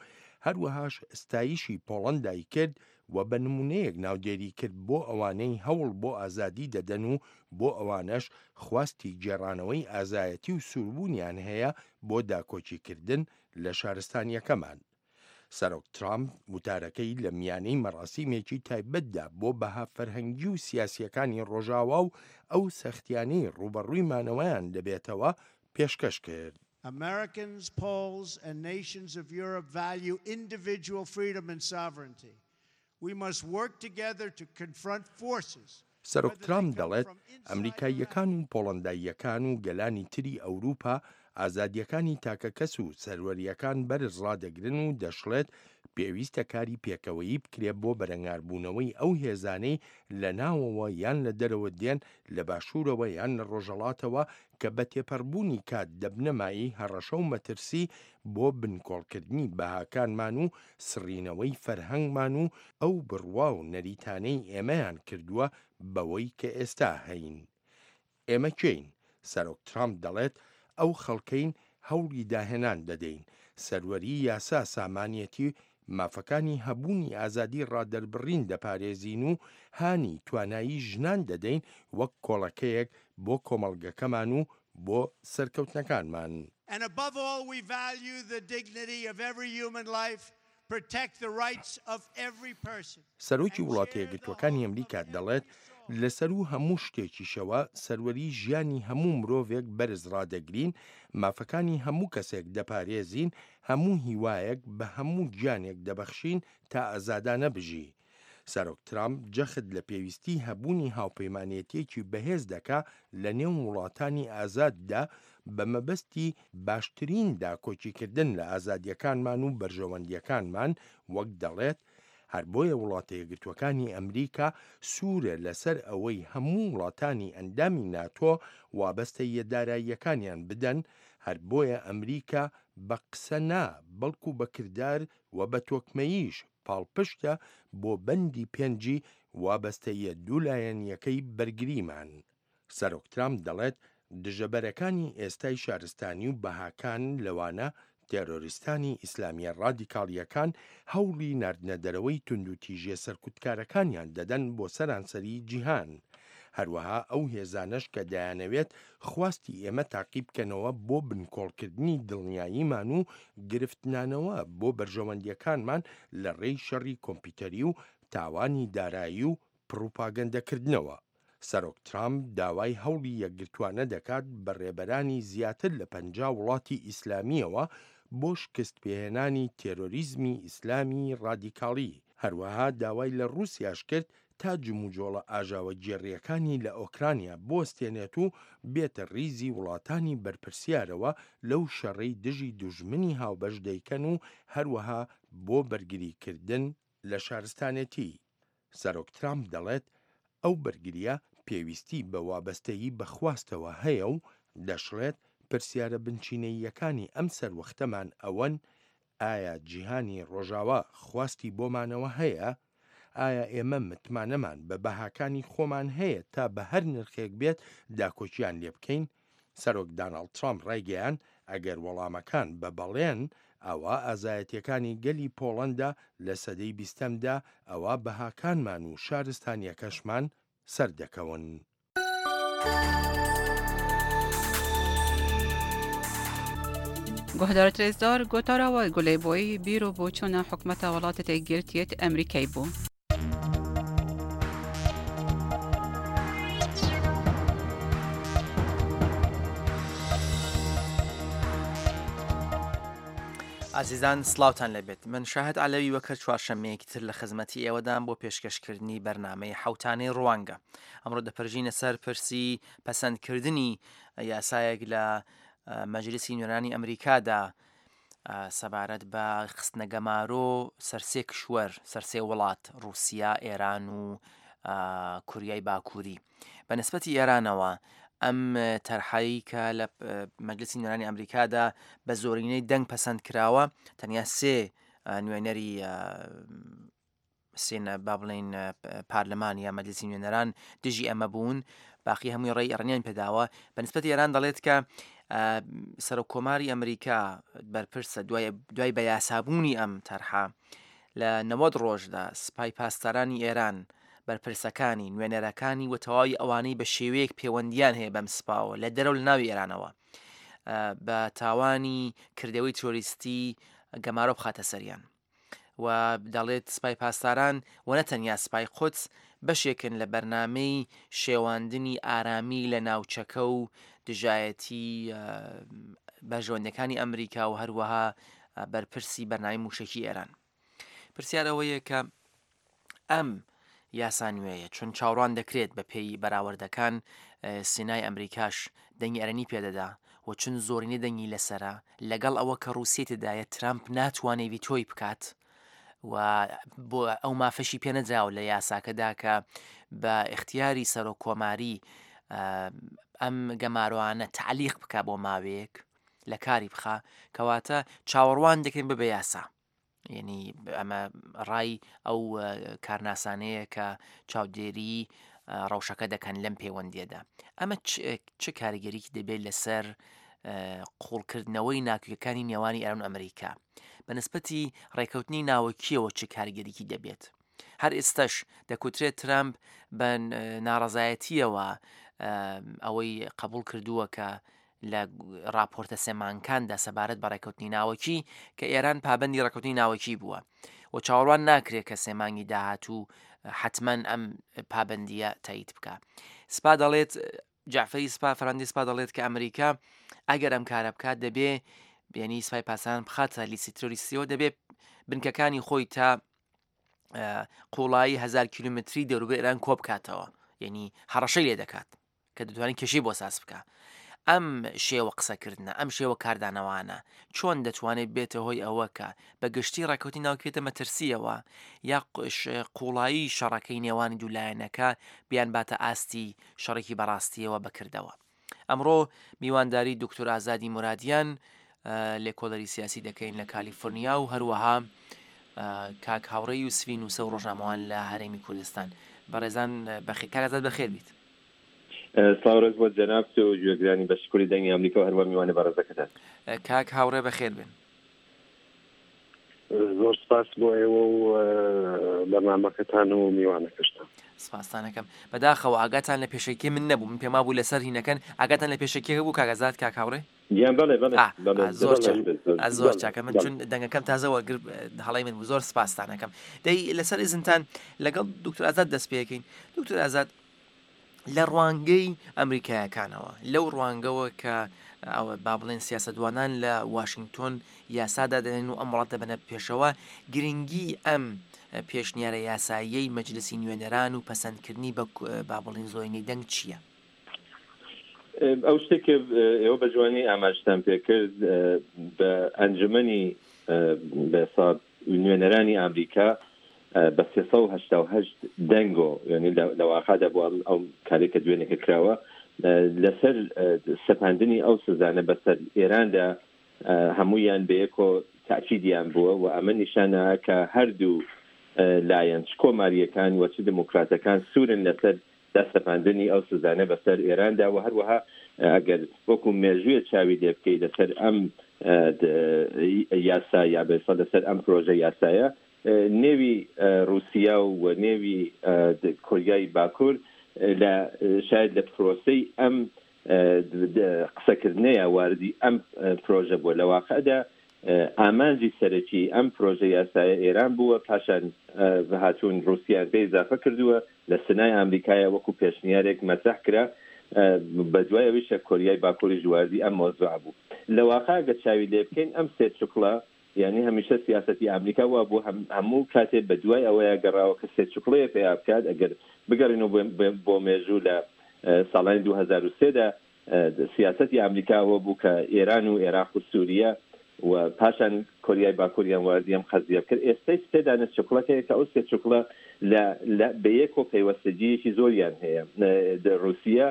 هەروەهاش ستایشی پۆڵەندای کرد و بە نموونەیەک ناودێری کرد بۆ ئەوانەی هەوڵ بۆ ئازادی دەدەن و بۆ ئەوانەش خواستی گێڕانەوەی ئازایەتی و سووربوونیان هەیە بۆ داکۆکیکردن لە شارستانیەکەمان. سەرۆک ترامپ وتارەکەی لە میانەی مەراسیمێکی تایبەتدا بۆ بەها فەرهەنگی و سیاسیەکانی ڕۆژاوا و ئەو سەختیانەی ڕووبەڕووی مانەوەیان دەبێتەوە پێشکەش کرد. Americans, Poles, and nations of Europe value individual freedom and sovereignty. We must work together to confront forces. سەرۆک ترامپ دەڵێت، ئەمریکاییەکان و پۆڵەنداییەکان و گەلانی تری ئەوروپا ئازادییەکانی تاکەکەس و سەروەرییەکان بەرز ڕادەگرن و دەشڵێت پێویستە کاری پێکەوەیی بکرێت بۆ بەرەنگاربوونەوەی ئەو هێزانەی لە ناوەوە یان لە دەرەوە دێن لە باشوورەوە یان لە ڕۆژهەڵاتەوە کە بە تێپەڕبوونی کات دەبنە مایەی هەڕەشە و مەترسی بۆ بنکۆڵکردنی بەهاکانمان و سڕینەوەی فەرهەنگمان و ئەو بڕوا و نەریتانەی ئێمەیان کردووە بەوەی کە ئێستا هەین. ئێمە کێین؟ سەرۆک ترامپ دەڵێت ئەو خەڵکەین هەوڵی داهێنان دەدەین، سەروەری یاسا سامانیەتی مافەکانی هەبوونی ئازادی ڕادەربڕین دەپارێزین و هانی توانایی ژنان دەدەین وەک کۆڵەکەیەک بۆ کۆمەڵگەکەمان و بۆ سەرکەوتنەکانمان. And above all we value the dignity of every human life, protect the rights of every person. سەرۆکی وڵاتە یەکگرتووەکانی ئەمریکا دەڵێت، لە سەروو هەموو شتێکیشەوە سەروەری ژیانی هەموو مرۆڤێک بەرز ڕادەگرین، مافەکانی هەموو کەسێک دەپارێزین، هەموو هیوایەک بە هەموو گیانێک دەبەخشین تا ئازادانە بژی. سەرۆک ترامپ جەخت لە پێویستی هەبوونی هاوپەیمانێتییەکی بەهێز دەکا لە نێو وڵاتانی ئازاددا بە مەبەستی باشترین داکۆکیکردن لە ئازادییەکانمان و بەرژەوەندییەکانمان، وەک دەڵێت هەر بۆیە وڵاتە یەکگرتووەکانی ئەمریکا سوورە لەسەر ئەوەی هەموو وڵاتانی ئەندامی ناتۆ وابەستەییە داراییەکانیان بدەن، هەر بۆیە ئەمریکا بە قسە نا بەڵکو بە کردار و بە تۆکمەییش پاڵپشتە بۆ بەندی پێنجی وابەستەییە دوو لایەنییەکەی بەرگریمان. سەرۆک ترامپ دەڵێت دژەبەرەکانی ئێستای شارستانی و بەهاکان لەوانە تێرۆریستانی ئیسلامییە ڕادیکاڵییەکان هەوڵی ناردنەدەرەوەی توندوتیژییە سەرکوتکارەکانیان دەدەن بۆ سەرانسەری جیهان. هەروەها ئەو هێزانەش کە دەیانەوێت خواستی ئێمە تاقیبکەنەوە بۆ بنکۆڵکردنی دڵنیاییمان و گرفتنانەوە بۆ بەرژەوەندییەکانمان لە ڕێی شەڕی کۆمپیوتەری و تاوانی دارایی و پڕوپاگەندەکردنەوە. سەرۆک ترامپ داوای هەوڵی یەکگرتووانە دەکات بە ڕێبەرانی زیاتر لە پەنجا وڵاتی ئیسلامییەوە بۆ شکستپێهێنانی تێرۆریزمی ئیسلامی ڕادیکاڵی، هەروەها داوای لە ڕووسیاش کرد تا جموجۆڵە ئاژاوەگێڕییەکانی لە ئۆکرانیا بوەستێنێت و بێتە ڕیزی وڵاتانی بەرپرسیارەوە لەو شەڕەی دژی دوژمنی هاوبەش دەیکەن و هەروەها بۆ بەرگریکردن لە شارستانێتی. سەرۆک ترامپ دەڵێت ئەو بەرگرییە پێویستی بە وابەستەیی بە خواستەوە هەیە و دەشڵێت پرسیارە بنچینەییەکانی ئەم سەروەختەمان ئەوەن، ئایا جیهانی ڕۆژاوا خواستی بۆ مانەوە هەیە؟ ئایا ئێمە متمانەمان بە بەهاکانی خۆمان هەیە تا بە هەر نرخێک بێت داکۆکییان لێبکەین؟ سەرۆک داناڵد ترامپ ڕایگەیاند، ئەگەر وەڵامەکان بە بەڵێن، ئەوا ئازایەتییەکانی گەلی پۆڵەندا لە سەدەی بیستەمدا، ئەوا بەهاکانمان و شارستانییەکەشمان سەردەکەون. گوهدارت رێزدار گۆتارا وە گولەی بۆی بیر و بۆچوونە حکومەتە وڵاتە یەکگرتیەت ئەمریکای بوو. ئازیزان سڵاوتان لێبێت من شاهد عەلەوی وەک هەر چوارشەممەیەکی تر لە خزمەتی ئێوەدام بۆ پێشکەشکردنی بەرنامەی حەوتانەی ڕوانگە ئەمڕۆ دەپەرژینە سەر پرسی پەسەندکردنی یاسایەک لە مەجلیسی نوێنەرانی ئەمریکادا سەبارەت بە خستنە گەمارۆ سەرسێ کشوەر سەرسێ وڵات رووسیا ئێران و کوریای باکووری بە نسبەتی ئێرانەوە ئەم تەرحایی کە لە مەجلسی نوێنەرانی ئەمریکادا بە زۆرینەی دەنگ پەسەند کراوە تەنیا سێ نوێنەری سێنە با بڵێین پارلەمان یا مەجلسی نوێنەران دژی ئەمە بوون باقی هەمووی ڕێی ئەڕنیان پێداوە بە نسبەتی ئێران دەڵێت کە سەرۆک کۆماری ئەمریکا بەرپرسە دوای دوای بە یاسابوونی ئەم تەرحە لە نەوەد ڕۆژدا سپای پاسدارانی ئێران، بەرپرسەکانی، نوێنەرەکانی و تەواوی ئەوانەی بە شێوەیەک پەیوەندیان هەیە بەم سپاوە لە دەرەوە لە ناوی ئێرانەوە بە تاوانی کردەوەی تیرۆریستی گەمارۆ بخاتە سەریان. و دەڵێت سپای پاسداران و نە تەنیا سپای قودس بەشێکن لە بەرنامەی شێواندنی ئارامی لە ناوچەکە و دژایەتی بەرژەوەندیەکانی ئەمریکا و هەروەها بەرپرسی بەرنامەی موشەکی ئێران. پرسیار ئەوەیە کە ئەم یاسا نوێیە چون چاوەڕوان دەکرێت بە پێی بەراوردەکان سینای ئەمریکاش دەنگی ئەرێنی پێدەدا و چون زۆرینەی دەنگی لەسرە لەگەڵ ئەوە کە ڕووسیە تێدایە ترامپ ناتوانێت ڤیتۆی بکات و بۆ ئەو مافەشی پێنەدراوە لە یاساکەدا کە بە ئیختیاری سەرۆک کۆماری ئەم گەمارۆانە تعلیق بکە بۆ ماوەیەک لە کاری بخا، کەواتە چاوەڕوان دەکەین ببە یاسا. یعنی ئەمە ڕای ئەو کارناسانەیە کە چاودێری ڕەوشەکە دەکەن لەم پەیوەندیەدا. ئەمە چ کاریگەریکی دەبێت لەسەر قوڵکردنەوەی ناکۆکیەکانی نێوانی ئێران و ئەمریکا؟ بە نسبەتی ڕێکەوتنی ناوەکیەوە چ کاریگەریکی دەبێت؟ هەر ئێستش دەکوترێت ترامپ بە ناڕەزایەتیەوە ئەوەی قبول کردووە کە لە راپۆرتە سێمانکاندا سەبارەت بە ڕێکەوتنی ناوەکی کە ئێران پابەندی ڕێکەوتنی ناوەکی بووە و چاوەڕوان ناکرێت کە سێمانگی داهاتوو حتمما ئەم پابەندیە تایید بکە. سپا دەڵێت، جعفری سپا، فەرماندەی سپا دەڵێت کە ئەمریکا ئەگەر ئەم کارە بکات دەبێ بێنی سپای پاسداران بخاتە لیستی ترۆریستیەوە، دەبێ بنکەکانی خۆی تا قوڵایی هەزار کیلومتری دەوروبەر ئێران کۆ بکاتەوە، یعنی هەڕەشەی لێ دەکات کە دەتوانێت کێشەی بۆ ساز بکە. ئەم شێوە قسەکردنە، ئەم شێوە کاردانەوانە چۆن دەتوانێت بێتە هۆی ئەوە کە بە گشتی ڕێکەوتنی ناوکێتە مەترسیەوە یا قوڵایی شەڕەکەی نێوانی دوولایەنەکە بیان باتە ئاستی شەڕێکی بەڕاستیەوە بەکردەوە؟ ئەمڕۆ میوانداری دکتۆر ئازادی مرادیان لێکۆڵەری سیاسی دەکەین لە کالیفۆرنیا و هەروەها کاک هاوڕێ یوسفی نووسە و ڕۆژنامەوان لە هەرێمی کوردستان. بەڕێزان بەخێر، کاک ئازاد بەخێر بیت. سڵاو ڕێز بۆ جەنابت و گوێگرانی بە شکوری دەنگی ئەمریکا و هەروە میوانە بەڕێزەکەتان. کاک هاوڕێ بەخێر بن. زۆر سپاس بۆ ئێوە و بەرنامەکەتان و میوانەکەشتان. سپاستانەکەم. بەداخەوە ئاگاتان لە پێشەکی من نەبوو، من پێما بوو لەسەر هینەکەن. ئاگاتان لە پێشەکیەکە بوو کاک ئازاد، کاک هاوڕێ؟ گیان بەڵێ بەڵێ بەڵێ زۆر زۆر چاکە. من چون دەنگەکەم تازە وەرگر هەڵەی من بوو، زۆر سپاستانەکەم. دەی لەسەر ئیزنتان لەگەڵ دکتۆر ئازاد دەست پێەکەین. دکتۆر ئازاد، لە ڕوانگەی ئەمریکایەکانەوە، لەو ڕوانگەوە کە ئەوە با بڵێن سیاسەتوانان لە واشنگتۆن یاسادا دەنێن و ئەم وڵات دەبەنە پێشەوە، گرنگی ئەم پێشنیارە یاساییەی مەجلسی نوێنەران و پەسەندکردنی بە با بڵێن زۆرینەی دەنگ چییە؟ ئەو شتێک کە ئێوە بە جوانی ئاماژتان پێکرد بە ئەنجومەنی بەسا نوێنەرانی ئەمریکا بە سێ سەد و هەشتا و هەشت دەنگۆ، یعنی لە واقعدا بۆ ئەو کارێک کە دوێنێکە کراوە لەسەر سەپاندنی ئەو سزانە بەسەر ئێراندا هەمویان بەیەکۆ تاکیدیان بووە و ئەمە نیشانە کە هەردوو لایەن چ کۆماریەکان و چ دموکراتەکان سوورن لەسەر دەسەپاندنی ئەو سزانە بەسەر ئێراندا و هەروەها ئەگەر وەکو مێژوویە چاوی لێ بکەی لەسەر ئەم یاسا یا بێسە لەسەر ئەم پرۆژە یاسایە نێوی رووسیا و نێوی کۆریای باکوور لە شاید لە پرۆسەی ئەم قسەکردنەیە واردی ئەم پرۆژە بووە. لە واقعدا ئامانجی سەرەکی ئەم پرۆژە یاسایە ئێران بووە، پاشان هاتوون رووسیان پێ ئیزافە کردووە لە سنای ئەمریکایە وەکو پێشنیارێک مەترح کرا، بە دوای ئەویشە کۆریای باکووریش واردی ئەم مۆزوع بوو. لە واقع ئەگەر چاوی لێ بکەین ئەم سێ چوکڵە، یعنی هەمیشە سیاسەتی ئەمریکا وا بوو هەموو کاتێ بە دوای ئەوەیە گەڕاوە کە سێ چوکڵەیە پێیا بکات. ئەگەر بگەڕینەوە بۆ مێژوو لە ساڵانی دوو هەزار و سێدا سیاسەتی ئەمریکا ئەوە بوو کە ئێران و عێراق و سووریا و پاشان کۆریای باکووریان واردی ئەم قەزیە بکرد. ئێستای سێ دانە چوکڵەکەیە کە ئەو سێ چوکڵە بە یەک و پەیوەستەجییەکی زۆریان هەیە. رووسیا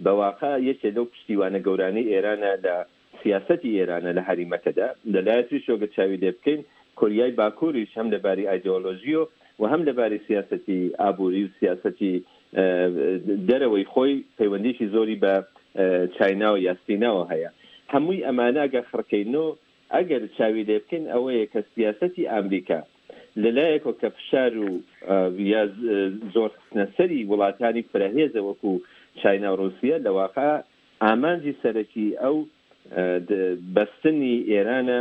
بە واقع یەکێ لەو پشتیوانە گەورانەی ئێرانە لە سیاسەتی ئێرانە لە هەریمەکەدا. لەلایە تریشەوە چاوی لێ بکەین کۆریای باکووریش هەم لەباری ئایدۆلۆژیۆ و هەم لەباری سیاسەتی ئابووری و سیاسەتی دەرەوەی خۆی پەیوەندیکی زۆری بە چاینا و یا سیناوە هەیە. هەمووی ئەمانە ئەگەر خڕکەینەوە ئەگەر چاوی لێ بکەین ئەوەیە کە سیاسەتی ئەمریکا لەلایەکەوە کە فشار و یا زۆر خستنە سەری وڵاتانی فرەهێزە وەکو چاینا و ڕوسیە، لە واقع ئامانجی سەرەکی ئەو بەستنی ئێرانە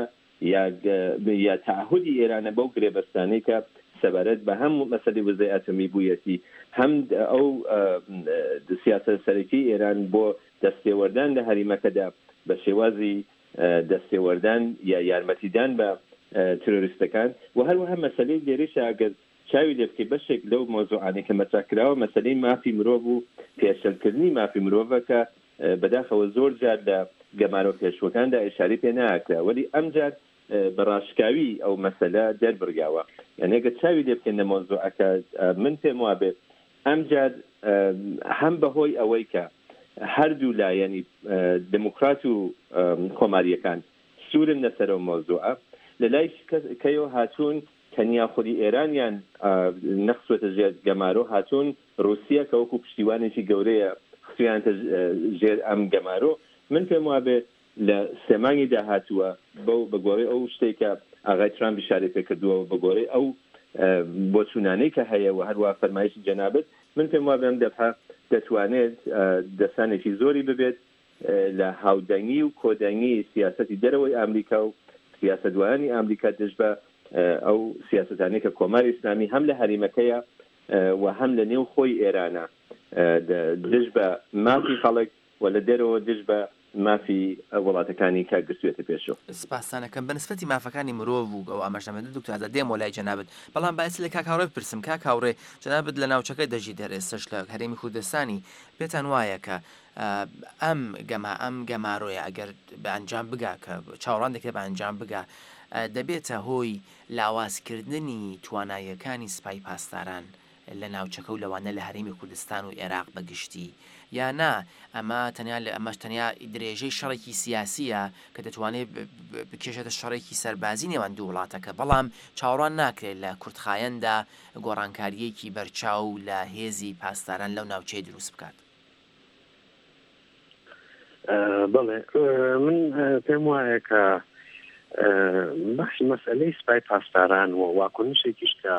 یا یا تەعهودی ئێرانە بەو گرێبەستانەی کە سەبارەت بە هەم مەسەلەی وزەی ئەتۆمی بوویەتی، هەم ئەو سیاسەت سەرەکی ئێران بۆ دەستێوەردان لە هەریمەکەدا بە شێوازی دەستێوەردان یا یارمەتیدان بە ترۆریستەکان. و هەروەها مەسەلەی لێرەشە ئەگەر چاوی لێ بکەی بەشێک لەو مۆزوعانەی کە مەترح کراوە مەسەلەی مافی مرۆڤ و پێشەلکردنی مافی مرۆڤە کە بەداخەوە زۆر جار لە گەمارۆ پێشوەکاندا ئیشارەی پێ ناکرا، وەلی ئەمجار بە ڕاشکاوی ئەو مەسەلە دەربڕیاوە. یعنی ئەگەر چاوی لێ بکەین لە مۆزوعەکە، من پێم وابێ ئەمجار هەم بەهۆی ئەوەی کە هەردوو لایەنی دموکرات و کۆماریەکان سوورن لەسەر ئەو مۆزوعە، لە لای کەیەوە هاتوون تەنیا خودی ئێرانیان نەخسوێتە ژێر گەمارۆ، هاتوون رووسیا کە وەکو پشتیوانێکی گەورەیە خستویانتە ژێر ئەم گەمارۆ. من پێم وابێ لە سێ مانگی داهاتووە بەو بە گۆڕەی ئەو شتێک کە ئاغای ترامپ ئیشارەی پێکردووە و بە گۆڕەی ئەو بۆچوونانەی کە هەیە و هەروە فەرمایشی جەنابت، من پێم وابێ ئەم دەفعە دەتوانێت دەسانێکی زۆری ببێت لە هاودەنگی و کۆدەنگی سیاسەتی دەرەوەی ئەمریکا و سیاسەتوانانی ئەمریکا دژ بە ئەو سیاسەتانەی کە کۆماری ئیسلامی هەم لە هەریمەکەیە و هەم لە نێو خۆی ئێرانە دژ بە مافی خەڵک و لە دەرەوە دژ بە مافی وڵاتەکانی کە گرتوێتە پێشەوە. سپاسانەکەم. بە نسبەتی مافەکانی مرۆڤ و ئەو ئاماژەمەدە دکتۆر ئازاد دێمەوە لای جەنابت، بەڵام باسی لە کاک هاوڕێ بپرسم. کاک هاوڕێ، جەنابت لە ناوچەکە دەژی دەر ئێستاش لە هەرێمی کوردستانی، پێتان وایە کە ئەم گەما ئەم گەمارۆیە ئەگەر بە ئەنجام بگا کە چاوەڕوان دەکرێت بە ئەنجام بگا، دەبێتە هۆی لاوازکردنی تواناییەکانی سپای پاسداران لە ناوچەکە و لەوانە لە هەرێمی کوردستان و عێراق بەگشتی، یا نا ئەمە تەنیا لە ئەمەش تەنیا درێژەی شەڕێکی سیاسیە کە دەتوانێت بکێشێتە شەڕێکی سەربازی نێوان دوو وڵاتەکە، بەڵام چاوەڕوان ناکرێت لە کورتخایەندا گۆڕانکاریەکی بەرچاو لە هێزی پاسداران لەو ناوچەیە دروست بکات؟ بەڵێ، من پێم وایە کە بەحسی مەسئلەی سپای پاسداران و واکنشێکیش کە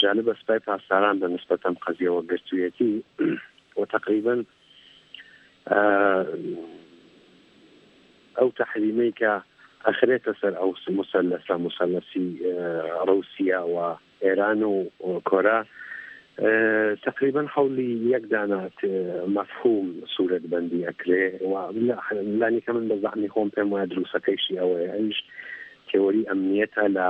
جانب سپای پاسداران بە نسبەت ئەم قەزیەوە گرتوویەتی و تقریبا ئەو تەحریمەی کە ئەخرێتە سەر ئەو مسەلەسە، مسەلەسی ڕووسیا و ئێران و کۆرا، تقریبا حەولی یەک دانە مەفهوم سوورەتبەندی ئەکرێ و لانی کە من بە زەعمی خۆم پێم وایە دروستەکەیشی ئەوەیە، ئەویش تێوەری ئەمنیەتە لە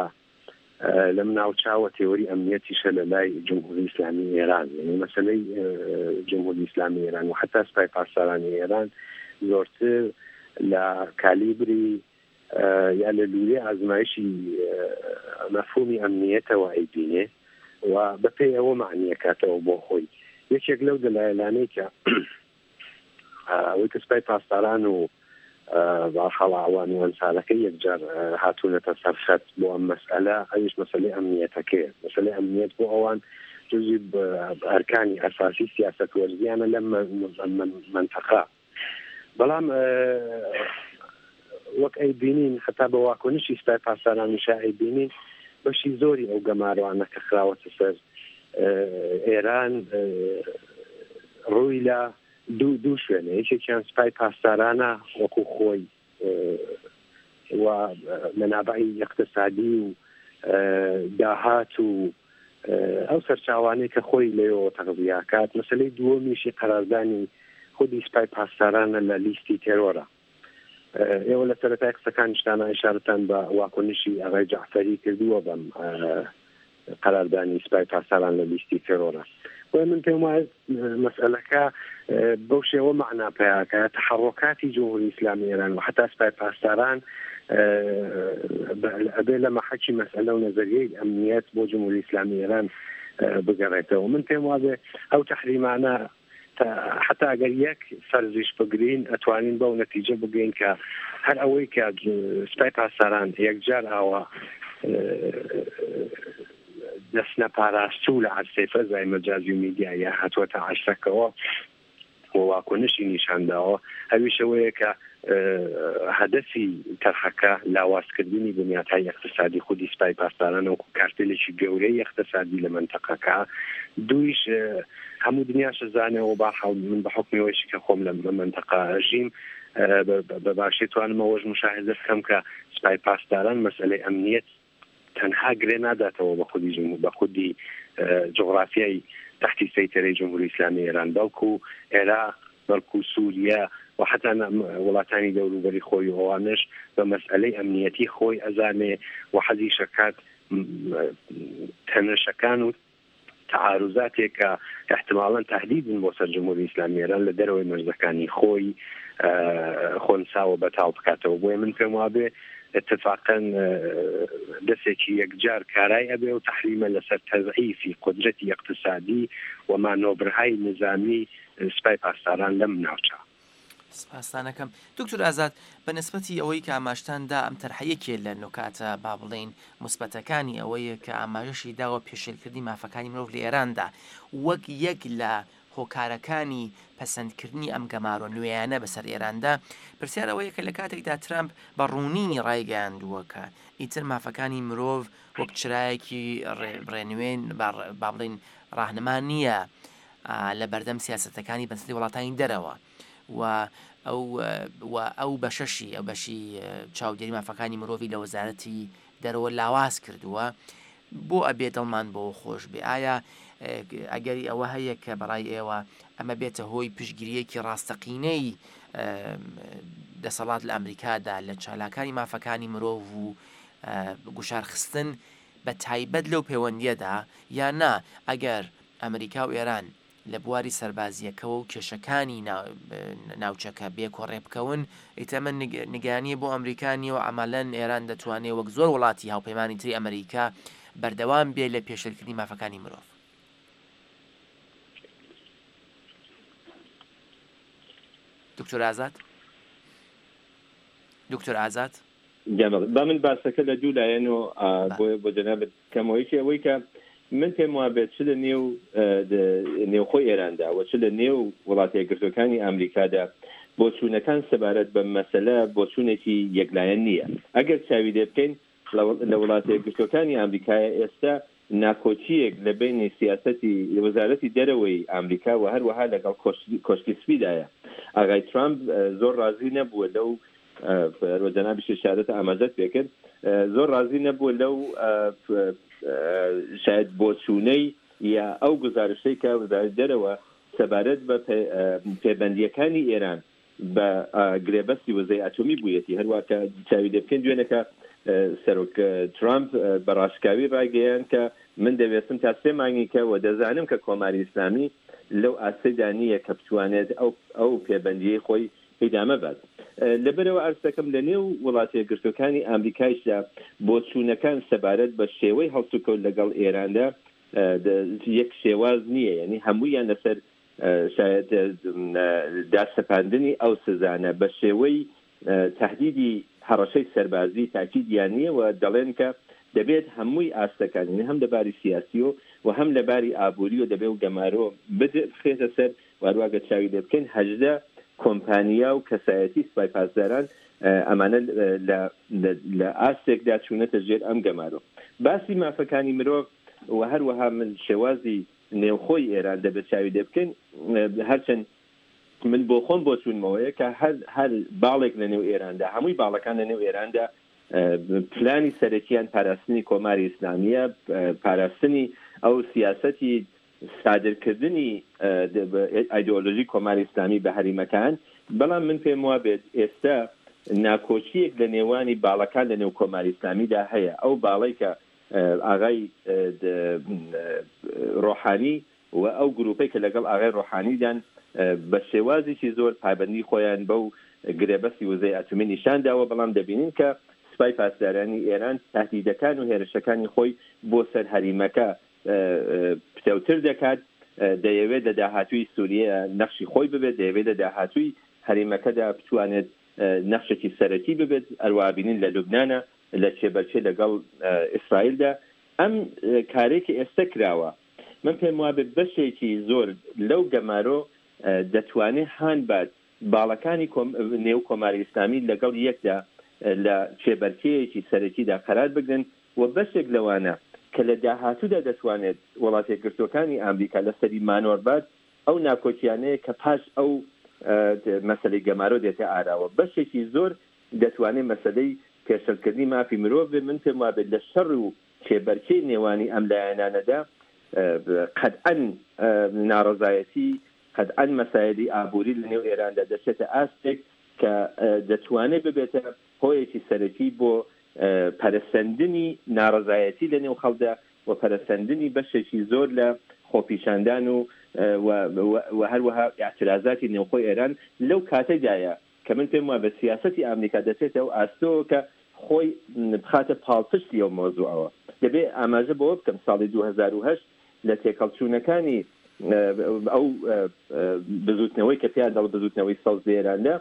لەم ناوچاوە، تێوەری ئەمنیەتیشە لە لای جمهوری ئیسلامی ئێران. یعنی مەسەلەی جمهوری ئیسلامی ئێران و حتا سپای پاسدارانی ئێران زۆرتر لە کالیبری یا لە لوورەی ئازمایشی مەفهومی ئەمنیەتەوە ئەیبینێ و بەپێی ئەوە معنیەکاتەوە بۆ خۆی. یەکێک لەو دەلایلانەی کە ئەوەی کە سپای پاسداران و بەرحاڵ ئەوان و ئەنسارەکەی یەکجار هاتوونەتە سەرخەت بۆ ئەم مەسئلە، ئەویش مەسەلەی ئەمنیەتەکەیە. مەسەلەی ئەمنیەت بۆ ئەوان جزئی ئەرکانی ئەساسی سیاسەت وەرزیانە لەم منتەقە. بەڵام وەک ئەیبینین حتا بە واکنشی سپای پاسدارانیشا ئەیبینین بەشی زۆری ئەو گەمارۆانە کە خراوەتە سەر ئێران ڕووی لە دوو دوو شوێنە، یەکێکیان سپای پاسدارانە وەکو خۆی و مەنابعی اقتصادی و داهات و ئەو سەرچاوانەی کە خۆی لەوێوە تەغذیاکات. مەسەلەی دووەمیشی قەراردانی خودی سپای پاسدارانە لە لیستی تێرۆرە. ئێوە لە سەرەتای قسەکانیشتانە ئیشارەتان بە واکنشی ئاغای جەعفەری کردووە بەم قەراردانی سپای پاسداران لە لیستی تێرۆرە. بۆیە من پێم وایە مەسئلەکە بەو شێوە مەعنا پەیاکە تەحەڕۆکاتی جمهوری ئیسلامی ئێران و حتا سپای پاسداران ئەبێ لە مەحەکی مەسئلە و نەزەریەی ئەمنیەت بۆ جمهوری ئیسلامی ئێران بگەڕێتەوە. من پێم وابێ ئەو تەحریمانە حتا ئەگەر یەک فەرزیش بگرین ئەتوانین بەو نەتیجە بگەین کە هەر ئەوەی کە سپای پاسداران یەکجار ئاوا دەستنە پاراستوو لە عەرسەی فەزای مەجازی و میدیایە هاتووەتە عەرسەکەوە، و واکنشی نیشان داوە، ئەویش ئەوەیە کە هەدەفی تەرحەکە لاوازکردنی بنیاتهای ئیقتسادی خودی سپای پاسداران وەکو کارتێلێکی گەورەی ئیقتسادی لە مەنتەقەکە. دوویش هەموو دنیاش زانەوە بەهەرحاڵ من بە حوکمی ئەوەیشی کە خۆم لە مەنتەقە ئەژیم بە باشی توانم ئەوەش مشاهدە بکەم کە سپای پاسداران مەسئلەی ئەمنیەت تەنها گرێ ناداتەوە بە خودی جمهور بە خودی جغرافیای تحتی سەیتەرەی جمهوری ئیسلامی ئێران، بەڵکو عێراق، بەڵکو سووریا و حتا وڵاتانی دەوروبەری خۆی و ئەوانش بە مەسئلەی ئەمنیەتی خۆی ئەزانێ و حەزیشەکات تەنەشەکان و تعارضاتێک کە احتمالاً تهدیدن بۆ سەر جمهوری ئیسلامی ئێران لە دەرەوەی مەرزەکانی خۆی خۆنساوە بەتاڵ بکاتەوە. بۆیە من پێم وابێ اتفاقاً دەسێکی یەکجار کارای ئەبێ و تەحریمە لەسەر تەزعیفی قودرەتی اقتصادی و مانۆبرهای نظامی سپای پاسداران لەم ناوچە. سپاسانەکەم دکتۆر ئازاد، بە نسبەتی ئەوەی کە ئاماژتان دا ئەم تەرحە یەکێ لە نوکاتە با بڵێین مثبەتەکانی ئەوەیە کە ئاماژەشی داوە پێشێلکردنی مافەکانی مرۆڤ لە ئێراندا وەک یەک لە هۆکارەکانی پەسەندکردنی ئەم گەمارۆ نوێیانە بەسەر ئێراندا. پرسیار ئەوەیە کە لە کاتێکدا ترامپ بە ڕوونی ڕایگەیاندووە کە ئیتر مافەکانی مرۆڤ وەک چرایەکی ڕێنوێن با بڵێین ڕاهنما نییە لە بەردەم سیاسەتەکانی بەنسبەتی وڵاتانی دەرەوە و ئەو و ئەو بەشەشی ئەو بەشی چاودێری مافەکانی مرۆڤی لە وەزارەتی دەرەوە لاواز کردووە، بۆ ئەبێ دڵمان بۆ خۆش بێ؟ ئایا ئەگەری ئەوە هەیە کە بەڕای ئێوە ئەمە بێتە هۆی پشتگیریەکی ڕاستەقینەی دەسەڵات لە ئەمریکادا لە چالاکانی مافەکانی مرۆڤ و گوشارخستن بە تایبەت لەو پەیوەندیەدا، یا نا ئەگەر ئەمریکا و ئێران لە بواری سەربازیەکەوە و کێشەکانی ناوچەکە بێکۆڕێ بکەون، ئیتر ئەمە نیگەرانیە بۆ ئەمریکا نییە و عەمەلەن ئێران دەتوانێت وەک زۆر وڵاتی هاوپەیمانی تری ئەمریکا بەردەوام بێ لە پێشێلکردنی مافەکانی مرۆڤ؟ دکتۆر ئازاد؟ دکتۆر ئازاد؟ با من باسەکە لە دوو لایەن و بۆ جەنابت کەمەوە. یەکێ ئەوەی کە من پێم وابێت چ لە نێو نێوخۆی ئێراندا و چ لە نێو وڵاتە یەکگرتووەکانی ئەمریکادا بۆچوونەکان سەبارەت بە مەسەلە بۆچوونێکی یەکلایەن نییە. ئەگەر چاوی لێ بکەین لە وڵاتە یەکگرتووەکانی ئەمریکایە ئێستا ناکۆکییەک لە بینی سیاسەتی وەزارەتی دەرەوەی ئەمریکا و هەروەها لەگەڵ کۆشکی سپیدایە. ئاغای ترامپ زۆر ڕازی نەبووە لەو جەنابیش ئشارەت ئاماژەت پێکرد، زۆر ڕازی نەبووە لەو شاید بۆچوونەی یا ئەو گزارشەی کە وەزارەتی دەرەوە سەبارەت بە پێبەندیەکانی ئێران بە گرێبەستی وزەی ئەتۆمی بوویەتی. هەروە کە چاوی لێ بکەین دوێنەکە سەرۆک ترامپ بە ڕاشکاوی ڕایگەیاند کە من دەوێستم تا سێ مانگی کە و دەزانم کە کۆماری ئیسلامی لەو ئاستەدا نییە کە بتوانێت ئەو ئەو پێبەندیەی خۆی ئیدامە بات. لەبەرەوە ئەرزەکەم لە نێو وڵاتە یەکگرتووەکانی ئەمریکایشدا بۆچوونەکان سەبارەت بە شێوەی هەڵسوکەوت لەگەڵ ئێراندا یەک شێواز نییە، یعنی هەموویان لەسەر شاید داسەپاندنی ئەو سزانە بە شێوەی تهدیدی هەڕەشەی سەربازی تاکیدیان نییە و دەڵێن کە دەبێت هەمووی ئاستەکان، یعنی هەم لەباری سیاسی و هەم لەباری ئابووری و دەبێت و گەمارۆ بخرێتە سەر. واروواگە چاوی لێ بکەین هەژدە کۆمپانیا و کەسایەتی سپای پاسداران ئەمانە لە ئاستێکدا چوونەتە ژێر ئەم گەمارۆ. باسی مافەکانی مرۆڤ و هەروەها من شێوازی نێوخۆی ئێران دەبێت چاوی لێ بکەین. هەرچەند من بۆ خۆم بۆچوونمەوەیە کە هەر هەر باڵێک لە نێو ئێراندا، هەمووی باڵەکان لە نێو ئێراندا پلانی سەرەکیان پاراستنی کۆماری ئیسلامیە، پاراستنی ئەو سیاسەتی سادرکردنی ئایدۆلۆژی کۆماری ئیسلامی بە هەریمەکان. بەڵام من پێم وابێت ئێستا ناکۆکییەک لە نێوانی باڵەکان لە نێو کۆماری ئیسلامیدا هەیە. ئەو باڵەی کە ئاغای ڕۆحانی و ئەو گروپەی کە لەگەڵ ئاغای ڕۆحانیدان بە شێوازێکی زۆر پابەندی خۆیان بەو گرێبەستی وزەی ئەتۆمی نیشان داوە، بەڵام دەبینین کە سپای پاسدارانی ئێران تهدیدەکان و هێرشەکانی خۆی بۆ سەر هەریمەکە پتەوتر دەکات. دەیەوێت لە داهاتووی سووریە نەخشی خۆی ببێت، دەیەوێت لە داهاتووی هەریمەکەدا بتوانێت نەخشێکی سەرەکی ببێت. ئەروابینین لە لوبنانە لە چێبەرچێ لەگەڵ ئیسرائیلدا. ئەم کارێکی ئێستا کراوە من پێم وابێت بەشێکی زۆر لەو گەمارۆ دەتوانێت هان بات باڵەکانی نێو کۆماری ئیسلامی لەگەڵ یەکدا لە کێبەرکێیەکی سەرەکیدا قەرار بگرن و بەشێک لەوانە کە لە داهاتوودا دەتوانێت وڵاتەیەکگرتووەکانی ئامریکا لەسەری مانۆڕ بات ئەو ناکۆکیانەیە کە پاش ئەو مەسەلەی گەمارۆ دێتە ئاراوە. بەشێکی زۆر دەتوانێت مەسەلەی پێشەلکردنی مافی مرۆڤ بێ. من پێم وابێت لە شەڕ و کێبەرکێی نێوانی ئەم لایەنانەدا قەتعەن ناڕەزایەتی، قەتعەن مەسایلی ئابووری لە نێو ئێراندا دەچێتە ئاستێک کە دەتوانێت ببێتە هۆیەکی سەرەکی بۆ پەرەسەندنی ناڕەزایەتی لە نێو خەڵکدا و پەرەسەندنی بەشێکی زۆر لە خۆپیشاندان و و هەروەها ئاعترازاتی نێوخۆی ئێران لەو کاتەدایە کە من پێم وایە بە سیاسەتی ئامریکا دەچێتە ئەو ئاستەوە کە خۆی بخاتە پاڵپشتی ئەو مۆزوعەوە. دەبێ ئاماژە بەوە بکەم ساڵی دوو هەزار و هەشت لە تێکەڵچوونەکانی ئەو بزوتنەوەی کە پێیان دەڵ بزوتنەوەی سەوز لە ئێراندا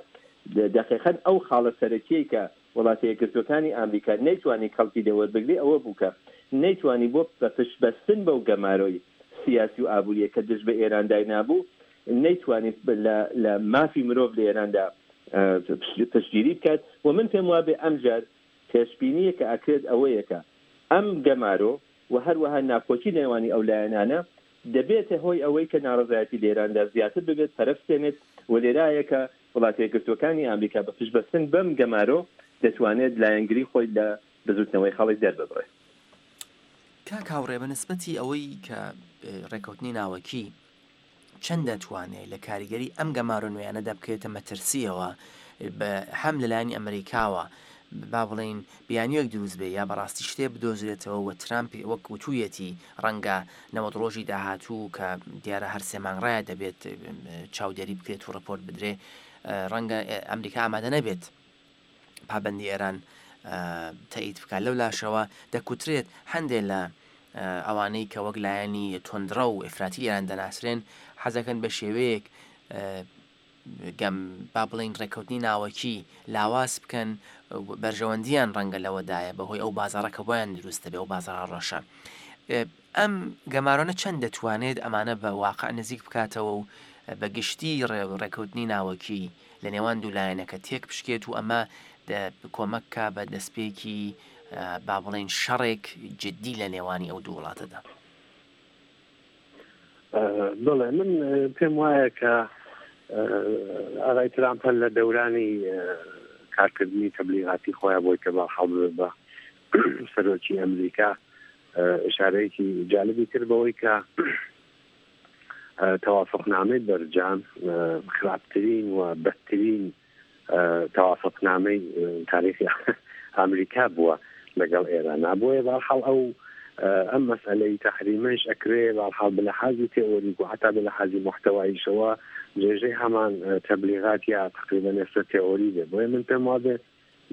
دقیقاً ئەو خاڵە سەرەکیەی کە وڵاتە یەکگرتووەکانی ئامریکا نەیتوانی کەڵکی لێوەربگرێ ئەوە بوو کە نەیتوانی بۆ بە پشتبەستن بەو گەمارۆی سیاسی و ئابووریە کە دژ بە ئێران داینابوو نەیتوانی لە مافی مرۆڤ لە ئێراندا پشتگیری بکات. و من پێم وابێ ئەمجار پێشبینیە کە ئەکرێت ئەوەیە کە ئەم گەمارۆ و هەروەها ناکۆکی نێوانی ئەو لایەنانە دەبێتە هۆی ئەوەی کە ناڕەزایەتی لە ئێراندا زیاتر ببێت، پەرەبستێنێت و لێرایە کە وڵاتە یەکگرتووەکانی ئامریکا بە پشتبەستن بەم گەمارۆ دەتوانێت لایەنگری خۆی لە بزوتنەوەی خەڵک دەرببڕێت. کاک هاوڕێ، بە نسبەتی ئەوەی کە ڕێککەوتنی ناوەکی چەند دەتوانێت لە کاریگەری ئەم گەمارۆ نوێیانەدا بکەوێتە مەترسیەوە هەم لەلایەنی ئەمریکاوە با بڵین بیانیەک دروست بێ یا بەڕاستی شتێ بدۆزرێتەوە و ترامپ وەک وتوویەتی ڕەنگە نەوەد ڕۆژی داهاتوو کە دیارە هەر سێ مانگ ڕایە دەبێت چاودێری بکرێت و ڕپۆرت بدرێ، ڕەنگە ئەمریکا ئامادە نەبێت پابەندی ئێران تەئید بکات. لەو لاشەوە دەکوترێت هەندێک لە ئەوانەی کە وەک لایەنی توندڕە و ئیفراتی ئێران دەناسرێن حەزەکەن بە شێوەیەک گەم با بڵین ڕێککەوتنی ناوەکی لاواز بکەن، بەرژەوەندیان ڕەنگە لەوەدایە بەهۆی ئەو بازاڕە کە بۆیان دروست دەبێ، ئەو بازاڕە ڕەشە. ئەم گەمارۆنە چەند دەتوانێت ئەمانە بە واقع نزیک بکاتەوە و بە گشتی ڕێککەوتنی ناوەکی لە نێوان دوو لایەنەکە تێک بشکێت و ئەمە کۆمەککا بە دەستپێکی با بڵین شەڕێک جدی لە نێوانی ئەو دوو وڵاتەدا؟ بڵێ، من پێم وایە کە ئاغای ترامپ لە دەورانی کارکردنی تەبلیغاتی خۆیان بۆی کە بەحاڵ بە سەرۆکی ئەمریکا ئشارەیەکی جالبی کرد بەوەی کە تەوافقنامەی بەرجام خراپترین و بەدترین تەوافقنامەی تاریخی ئەمریکا بووە لەگەڵ ئێران. بۆیە بەحاڵ ئەو ئەم مەسئلەی تەحریمەش ئەکرێ بەحاڵ بە لەحازی تێئۆریک و حتا بە لەحازی محتەواییشەوە درێژەی هەمان تەبلیغات یا تقریبا ئێستا تێئۆری بێ. بۆیە من پێم وابێ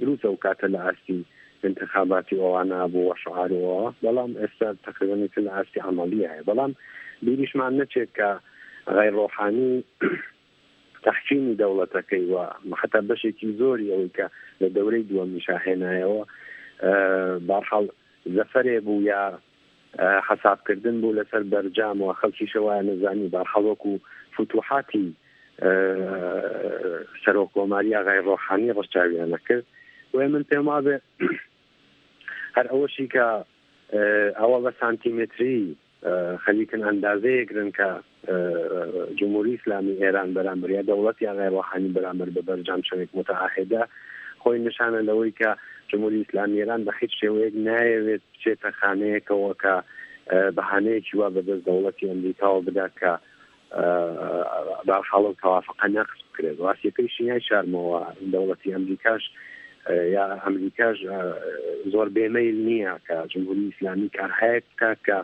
دروستە ئەو کاتە لە ئاستی انتخاباتی ئەوانە بوو و شعار ئەوە، بەڵام ئێستا تقریبا لە ئاستی عەمەڵی هەیە. بەڵام بیریشمان نەچێت کە غەیر ڕۆحانی تەحکیمی دەوڵەتەکەی و حتا بەشێکی زۆری ئەوەی کە لە دەورەی دووەمیشا هێنایەوە بەرحاڵ زەفەرێ بوو یا حەسابکردن بوو لەسەر بەرجام و خەڵکیشە وایە نەزانی بەرحاڵ وەکو فتوحاتی سەرۆک کۆماری ئاغای ڕۆحانی ڕەچاویان نەکرد. بۆیە من پێم وابێ هەر ئەوەشی کە ئەوە بە سانتیمەتری خەریکن ئەندازەیەکرن کە جمهوری ئیسلامی ئێران بەرامبەر یا دەوڵەتی ئاغای ڕۆحانی بەرامبەر بە بەرجام چەندێک متعاهدە، خۆی نیشانە لەوەی کە جمهوری ئیسلامی ئێران بە هیچ شێوەیەک نایەوێت بچێتە خانەیەکەوە کە بەهانەیەکی وا بەدەست دەوڵەتی ئەمریکاوە بدا کە بەرحاڵ و تەوافقە نەقس بکرێت. ڕاستیەکەیشی نایشارمەوە دەوڵەتی ئەمریکاش یا ئەمریکاش زۆر بێمەیل نییە کە جمهوری ئیسلامی کارهایەک بکات کە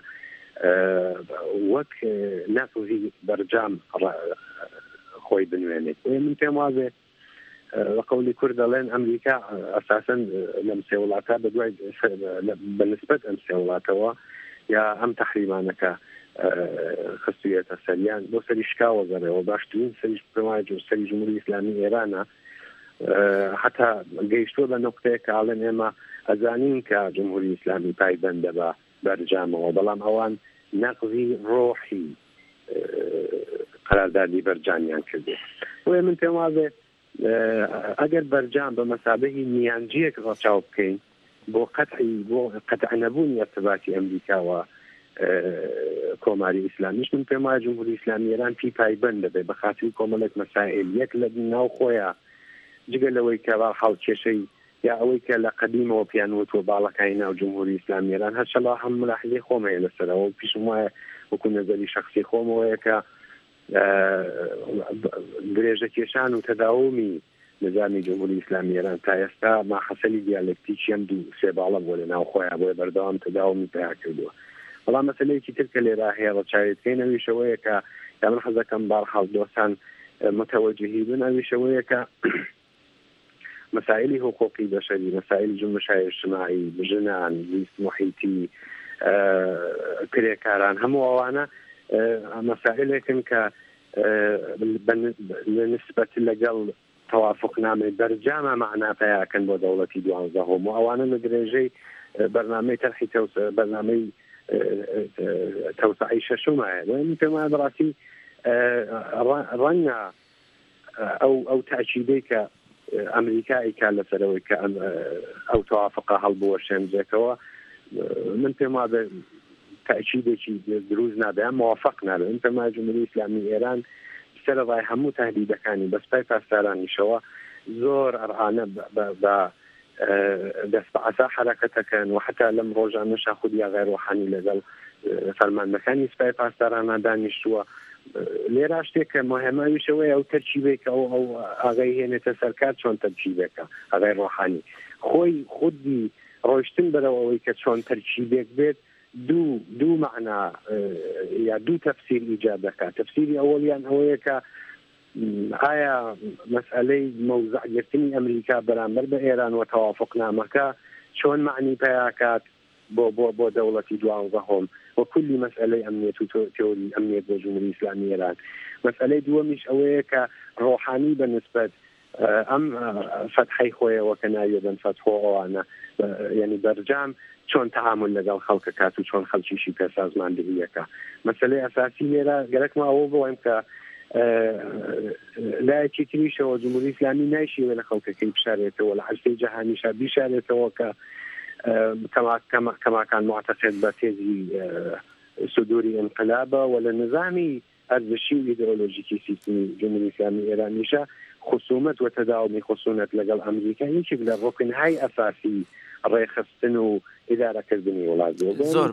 وەک نەقزی بەرجام خۆی بنوێنێت. من پێم وابێ لە قەولی کورد دەڵێن ئەمریکا ئەساسەن لەم سێ وڵاتە بە دوای بەنسبەت ئەم سێ وڵاتەوە یا ئەم تەحریمانەکە خستویەتە سەریان بۆ سەری شکاوە گەڕێەوە. باشترین سەری پێم سەری جمهوری ئیسلامی ئێرانە حتا گەیشتووە بە نقطەیەک کە ئاڵێن ئێمە ئەزانین کە جمهوری ئیسلامی پایبەندە بە بەرجامەوە، بەڵام ئەوان نەقزی ڕۆحی قەراردادی بەرجامیان کردێ. بۆیە من پێم وابێ ئەگەر بەرجام بە مەسابەهی میانجیەک ڕەچاو بکەین بۆ قەتعی بۆ قەتع نەبوونی ارتباطی ئەمریکا و کۆماری ئیسلامیش، من پێم وایە جمهوری ئیسلامی ئێران پی پایبەند دەبێ بە خاتری کۆمەڵێک مەسائل، یەک لە ناو خۆیە جگە لەوەی کە حاڵ کێشەی یا ئەوەی کە لە قەدیمەوە پیان وتووە باڵەکانی ناو جمهوری ئیسلامی ئێران، هەرچەند هەم ملاحظەی خۆم هەیە لەسەرەوە و پیشم وایە وەکو نەزەری شەخسی خۆمەوەیە کە درێژە کێشان و تەداومی نظامی جمهوری ئیسلامی ئێران تا ئێستا ماحەسەلی دیالکتیکی ئەم دوو سێ باڵە بووە لە ناو خۆیان، بۆیە بەردەوام تەداومی پیا کردووە. بەڵام مەسەلەیەکی تر کە لێرە هەیە ڕەچاوی بکەین ئەویش ئەوەیە کە یا من حەز دەکەم بەهەرحاڵ دۆستان متەوەجهی بن، ئەویش ئەوەیە کە مەسائلی حقوقی بەشەری، مەسائل جنبشای اجتماعی، ژنان، زیست محیطی، کرێکاران، هەموو ئەوانە مەسائلێکن کە لە نسبەت لەگەڵ توافقنامەی بەرجامە مەعنا پەیاکەن بۆ دەوڵەتی دوانزەهۆم و ئەوانە لە درێژەی بەرنامەی تەرحی بەرنامەی تەوسعی شەشومایە. بۆیە من پێم وایە بەڕاستی ڕەنگە ئەو ئەو تاکیدەی کە ئەمریکا ئیکا لەسەرەوەی کە ئەو توافقە هەڵبوەشێنرێتەوە، من پێم وابێ تاکیدێکی دروست نابێ، موافق نابێ. من پێم وایە جمهوری ئیسلامی ئێران سەرەڕای هەموو تهدیدەکانی بە سوپای پاسدارانیشەوە زۆر ئەرعانە بە دەست بە عەسا حەرەکەتەکەن و حتا لەم ڕۆژانەشا خودی ئاغای ڕۆحانی لەگەڵ فەرماندەکانی سوپای پاسدارانە دانیشتووە. لێرا شتێک کە مهمە ئەویش ئەوەیە ئەو تەرکیبێک ئەو ئەو ئاغای هێنێتە سەرکار چۆن تەرکیبێکە ئاغای ڕۆحانی خۆی خودی ڕۆیشتن بەرەو ئەوەی کە چۆن تەرکیبێک بێت دوو دوو مەعنا یا دوو تەفسیر ئیجاد دەکات. تەفسیری ئەوەڵیان ئەوەیە کە ئایا مەسئلەی مەوزعگرتنی ئەمریکا بەرامبەر بە ئێران و تەوافقنامەکە چۆن مەعنی پەیاکات بۆ بۆ بۆ دەوڵەتی دوانزەهۆم و کولی مەسئلەی ئەمنیەت و تئوری ئەمنیەت بۆ جمهوری ئیسلامی ئێران. مەسئلەی دووەمیش ئەوەیە کە ڕۆحانی بە نسبەت ئەم فەتحەی خۆیەوە کە ناویە بن فەتحۆ ئەوانە، یعنی بەرجام چۆن تەعامل لەگەڵ خەڵکە کات و چۆن خەڵکیشی پێسازماندهیەکە. مەسئلەی ئەساسی لێرە گەرەکمە ئەوە بڵێم کە لایەکی تریشەوە جمهوری ئیسلامی نایشیوە لە خەڵکەکەی بشارێتەوە، لە عەرصەی جەهانیشا بیشارێتەوە کە كما كان معتقد بە تێزی صدوری انقلابە و لە نظامی ئەرزشی و ئیدئۆلۆژیکی سیستمی جمهوری ئیسلامی ئێرانیشە خصومەت و تەداومی خصومەت لەگەڵ ئەمریکا یەکێک لە ڕوکنهای ئەساسی ڕێخستن و ئیدارەکردنی وڵات بووە. زۆر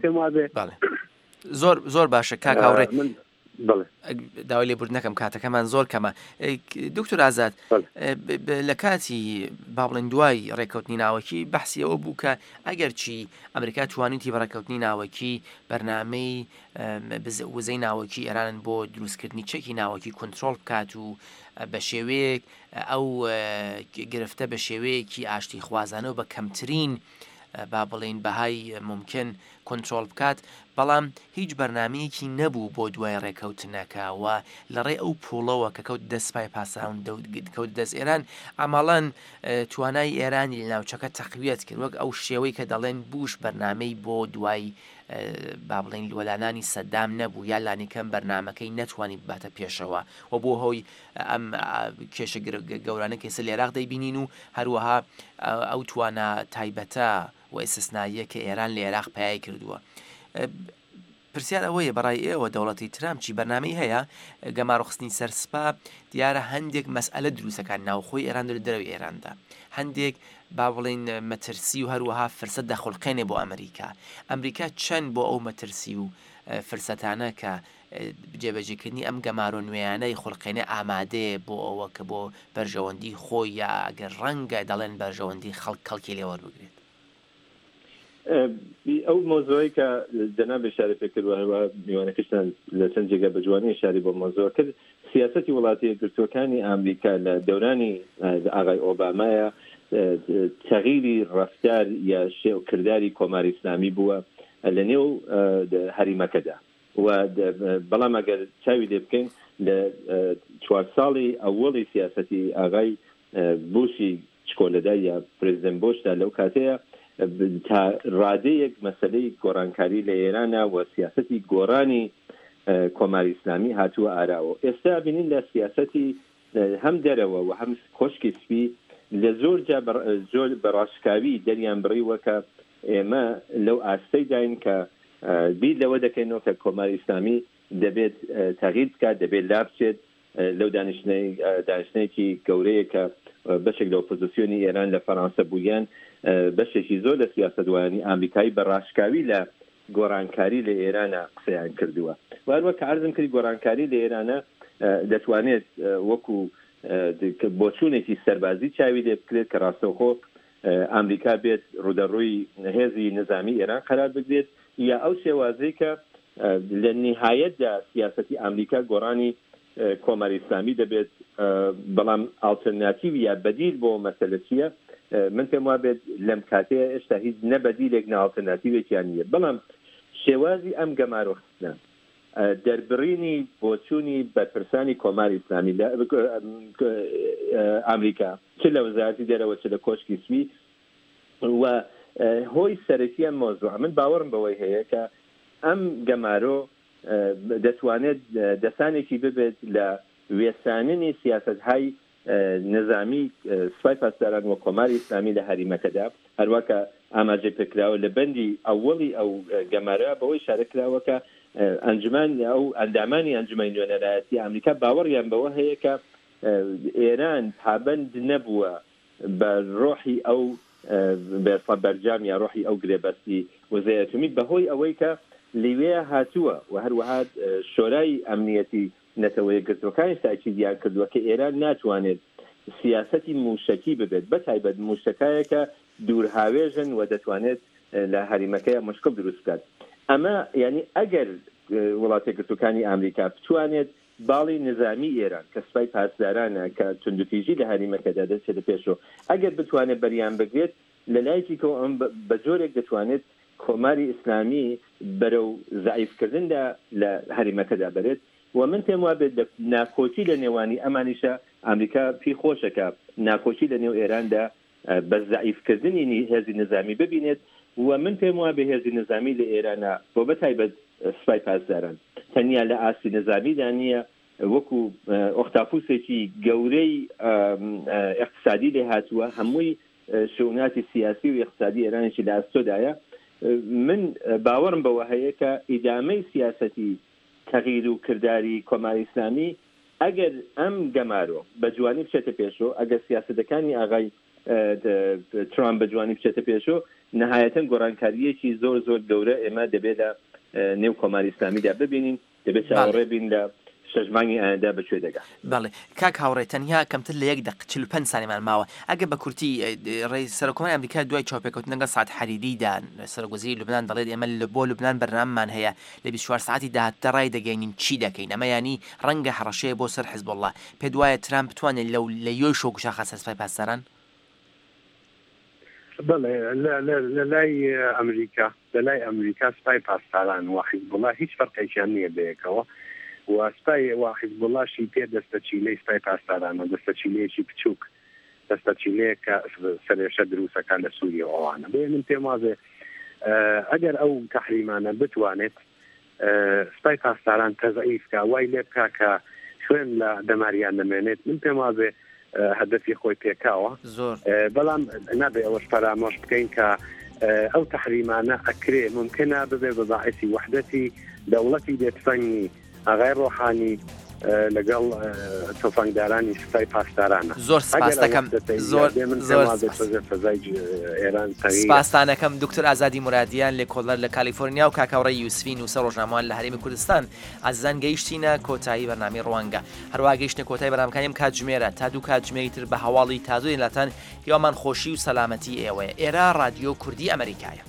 زۆر زۆر باشە کاک هاوڕێ، داوای لێبوردن نەکەم کاتەکەمان زۆر کەمە. دکتۆر ئازاد، لە کاتی با بڵێن دوای ڕێککەوتنی ناوەکی بەحسی ئەوە بوو کە ئەگەرچی ئەمریکا توانیتی بە ڕێککەوتنی ناوەکی بەرنامەی وزەی ناوەکی ئێران بۆ دروستکردنی چەکی ناوەکی کۆنترۆڵ بکات و بە شێوەیەک ئەو گرفتە بە شێوەیەکی ئاشتی خوازانە و بە کەمترین با بڵێن بەهای ممکن کۆنترۆڵ بکات، بەڵام هیچ بەرنمەیەکی نەبوو بۆ دوای ڕێککەوتنەکە و لەڕێ ئەو پوڵەوە کە کەوت دەست سوپای پاسداران کەوت دەست ئێران، ئەمەڵەن توانای ئێرانی لە ناوچەکە تەقویەت کرد، وەک ئەو شێوەی کە دەڵێن بوش بەرنمەی بۆ دوای با بڵێن وەلانانی سەدام نەبوو یا لانیکەم بەرنمەکەی نەتوانی بباتە پێشەوە و بۆ هۆی ئەم کێشە گەورانە کە ئێستا لە عێراق دەیبینین و هەروەها ئەو توانا تایبەتە و ئیستثنائیە کە ئێران لە عێراق پای کردووە. پرسیار ئەوەیە بەڕای ئێوە دەوڵەتی ترامپ چی بەرنامەی هەیە گەمارۆخستنی سەر سپا؟ دیارە هەندێک مەسئلە دروستەکان ناوخۆی ئێران لە دەرەوەی ئێراندا، هەندێک با بڵێن مەترسی و هەروەها فرسەت دەخولقێنێ بۆ ئەمریکا. ئەمریکا چەند بۆ ئەو مەترسی و فرسەتانە کە جێبەجێکردنی ئەم گەمارۆ نوێیانەی خولقێنێ ئامادەیە بۆ ئەوە کە بۆ بەرژەوەندی خۆی یا ئەگەر ڕەنگە دەڵێن بەرژەوەندی خەڵک کەڵکی لێوەربگرێت؟ ئەو مۆزۆی کە جەناب ئشارە پێ کرد و هەروەها میوانەکەشتان لە چەند جێگا بە جوانی ئشاری بۆ مۆزۆ کرد، سیاسەتی وڵاتی یەکگرتووەکانی ئەمریکا لە دەورانی ئاغای ئۆبامایە تەغیری ڕەفتار یا شێو کرداری کۆماری ئیسلامی بووە لە نێو هەریمەکەدا و بەڵام ئەگەر چاوی لێ بکەین لە چوار ساڵی ئەوەڵی سیاسەتی ئاغای بوشی چکۆلەدا یا پرزیدنت بوشدا لەو کاتەیە تا ڕادەیەک مەسلەی گۆڕانکاری لە ئێرانە و سیاسەتی گۆڕانی کۆماری ئیسلامی هاتووە ئاراوە. ئێستا بینین لە سیاسەتی هەم دەرەوە و هەم کۆشکی سپی لە زۆر جا زۆر بەڕاشکاوی دەریان بڕیوە کە ئێمە لەو ئاستەی داین کە بیر لەوە دەکەینەوە کە کۆماری ئیسلامی دەبێت تەغییر بکات، دەبێت لا بچێت لەو دانیشتنێکی گەورەیە کە بەشێک لە ئۆپۆزیسیۆنی ئێران لە فەرانسە بوویان، بەشێکی زۆر لە سیاسەتوانی ئامریکایی بە ڕاشکاوی لە گۆڕانکاری لە ئێرانە قسەیان کردووە. وهەروە کە عەرزم کرد گۆڕانکاری لە ئێرانە دەتوانێت وەکو بۆچوونێکی سەربازی چاوی لێ بکرێت کە ڕاستەوخۆ ئامریکا بێت ڕوودەڕووی هێزی نظامی ئێران قەرار بگرێت، یا ئەو شێوازەی کە لە نهایەتدا سیاسەتی ئامریکا گۆڕانی کۆماری ئیسلامی دەبێت. بەڵام ئاڵتەرناتیو یا بەدیل بۆ مەسەلە چییە؟ من پێم وا بێت لەم کاتەیە هێشتا هیچ نەبەدیلێک نە ئاڵتەرناتیوێکیان نییە. بەڵام شێوازی ئەم گەمارۆ خستنە، دەربڕینی بۆچوونی بەرپرسانی کۆماری ئیسلامی لە ئامریکا چ لە وەزارەتی دەرەوە چ لە کۆشکی سپی و هۆی سەرەکی ئەم مۆزوع، من باوەڕم بەوەی هەیە کە ئەم گەمارۆ دەتوانێت دەسانێکی ببێت لە وێساننی سیاستهای نظامی سپای پاسداران و کۆماری ئیسلامی لە هەریمەکەدا. هەروە کە ئاماژەی پێکراوە لە بەندی ئەوەڵی ئەو گەمارە بەوەی شارە کراوە کە ئەنجومەن ئەو ئەندامانی ئەنجومەنی نوێنەرایەتی ئامریکا باوەڕیان بەوە هەیە کە ئێران پابەند نەبووە بە ڕۆحی ئەو بێسڵە بەرجام یا ڕۆحی ئەو گرێبەستی وزەی ئەتۆمی بەهۆی ئەوەی کە لیوێ هاتووە و هەروەها شۆرای ئەمنیەتی نەتەوە یەکگرتووەکانیش تاکیدیان کردووە کە ئێران ناتوانێت سیاسەتی موشکی ببێت، بە تایبەت موشەکایەکە دوورهاوێژن و دەتوانێت لە هەریمەکەی مشکل دروست بکات. ئەمە یعنی ئەگەر وڵاتە یەکگرتووەکانی ئامریکا بتوانێت باڵی نظامی ئێران کە سپای پاسدارانە کە توندوتیژی لە هەریمەکەدا دەچێتە پێشەوە، ئەگەر بتوانێت بەریان بگرێت لە لایەکی کەوە ئەم بە جۆرێک دەتوانێت کۆماری ئیسلامی بەرەو زەعیفکردندا لە هەریمەکەدا بەرێت. و من پێم وا بێت ناکۆکی لە نێوانی ئەمانیشە ئامریکا پێی خۆشە کە ناکۆکی لە نێو ئێراندا بە زەعیفکردنی هێزی نظامی ببینێت. و من پێم وا بێ هێزی نظامی لە ئێرانە بۆ بەتایبەت سپای پاسداران تەنیا لە ئاستی نظامیدا نییە، وەکو ئۆختاپوسێکی گەورەی اقتصادی لێ هاتووە، هەمووی شوناتی سیاسی و اقتصادی ئێرانیشی لە ئەستۆدایە. من باوەڕم بەوە هەیە کە ئیدامەی سیاسەتی تەغییر و کرداری کۆماری ئیسلامی ئەگەر ئەم گەمارۆ بە جوانی بچێتە پێشەوە، ئەگەر سیاسەتەکانی ئاغای ترامپ بە جوانی بچێتە پێشەوە، نهایەتەن گۆڕانکاریەکی زۆر زۆر گەورە ئێمە دەبێت لە نێو کۆماری ئیسلامیدا ببینین، دەبێت چاوەڕێ بین لە شەش مانگی ئایندە بەکوێ دەگات. بەڵێ کاک هاوڕێ، تەنیا کەمتر لە یەک دەق چل و پەنج سانیمان ماوە. ئەگەر بە کورتی ڕێی سەرۆککۆماری ئەمریکا دوای چاوپێکەوتن لەگەڵ سعد حەریریدا سەرۆک وەزیری لوبنان دەڵێت ئێمە بۆ لوبنان بەرنامەمان هەیە لە بیست و چوار ساعتی داهاتوودا ڕای دەگەینین چی دەکەین. ئەمە یانی ڕەنگە هەڕەشەیە بۆ سەر حزبوڵڵا. پێت وایە ترامپ بتوانێت لەو لە یۆی شۆکوشاخە سەر سپای پاسداران؟ بەڵێ، لە لای ئەمریکا لە لای ئەمریکا سپای پاسداران و حیزبوڵڵا هیچ فەرقێکیان نییە بەیەکەوە و سپای و حیزبوڵڵاشی پێ دەستەچیلەی سپای پاسدارانە، دەستەچیلەیەکی بچووک، دەستەچیلەیە کە سەرێشە دروستەکان لە سووریە و ئەوانە. بۆیە من پێم وازێ ئەگەر ئەو تەحریمانە بتوانێت سپای پاسداران تەزعیف کا، وای لێ بکا کە خوێن لە دەماریان نەمێنێت، من پێم وازێ هەدەفی خۆی پێکاوە. بەڵام نابێ ئەوەش فەرامۆش بکەین کە ئەو تەحریمانە ئەکرێ ممکنە ببێ بە باعثی وحدەتی دەوڵەتی بێتفەنگی ئاغای ڕۆحانی لەگەڵ تۆفەنگدارانی سپای پاسدارانە. زۆر سپاس دەکەم، زۆر زۆر سپاستانەکەم دکتۆر ئازادی مرادیان لێکۆڵەر لە کالیفۆرنیا و کاکاوڕێ یوسفی نووسەر ڕۆژنامەوان لە هەرێمی کوردستان. ئازیزان گەیشتینە کۆتایی بەرنامەی ڕوانگە. هەروەها گەیشتنە کۆتایی بەرنامەکانی ئەم کاتژمێرە تا دوو کاتژمێری تر بە هەواڵی تازۆی لاتان. هیوامان خۆشی و سەلامەتی ئێوەیە. ئێرە ڕادیۆ کوردی ئەمریکایە.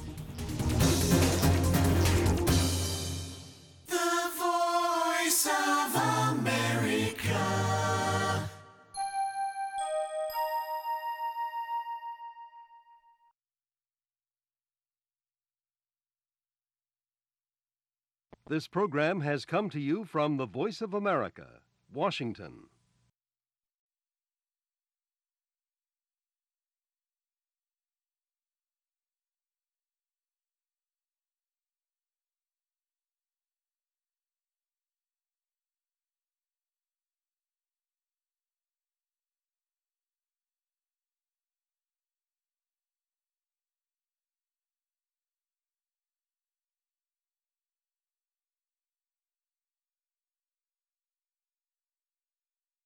This program has come to you from the Voice of America, Washington.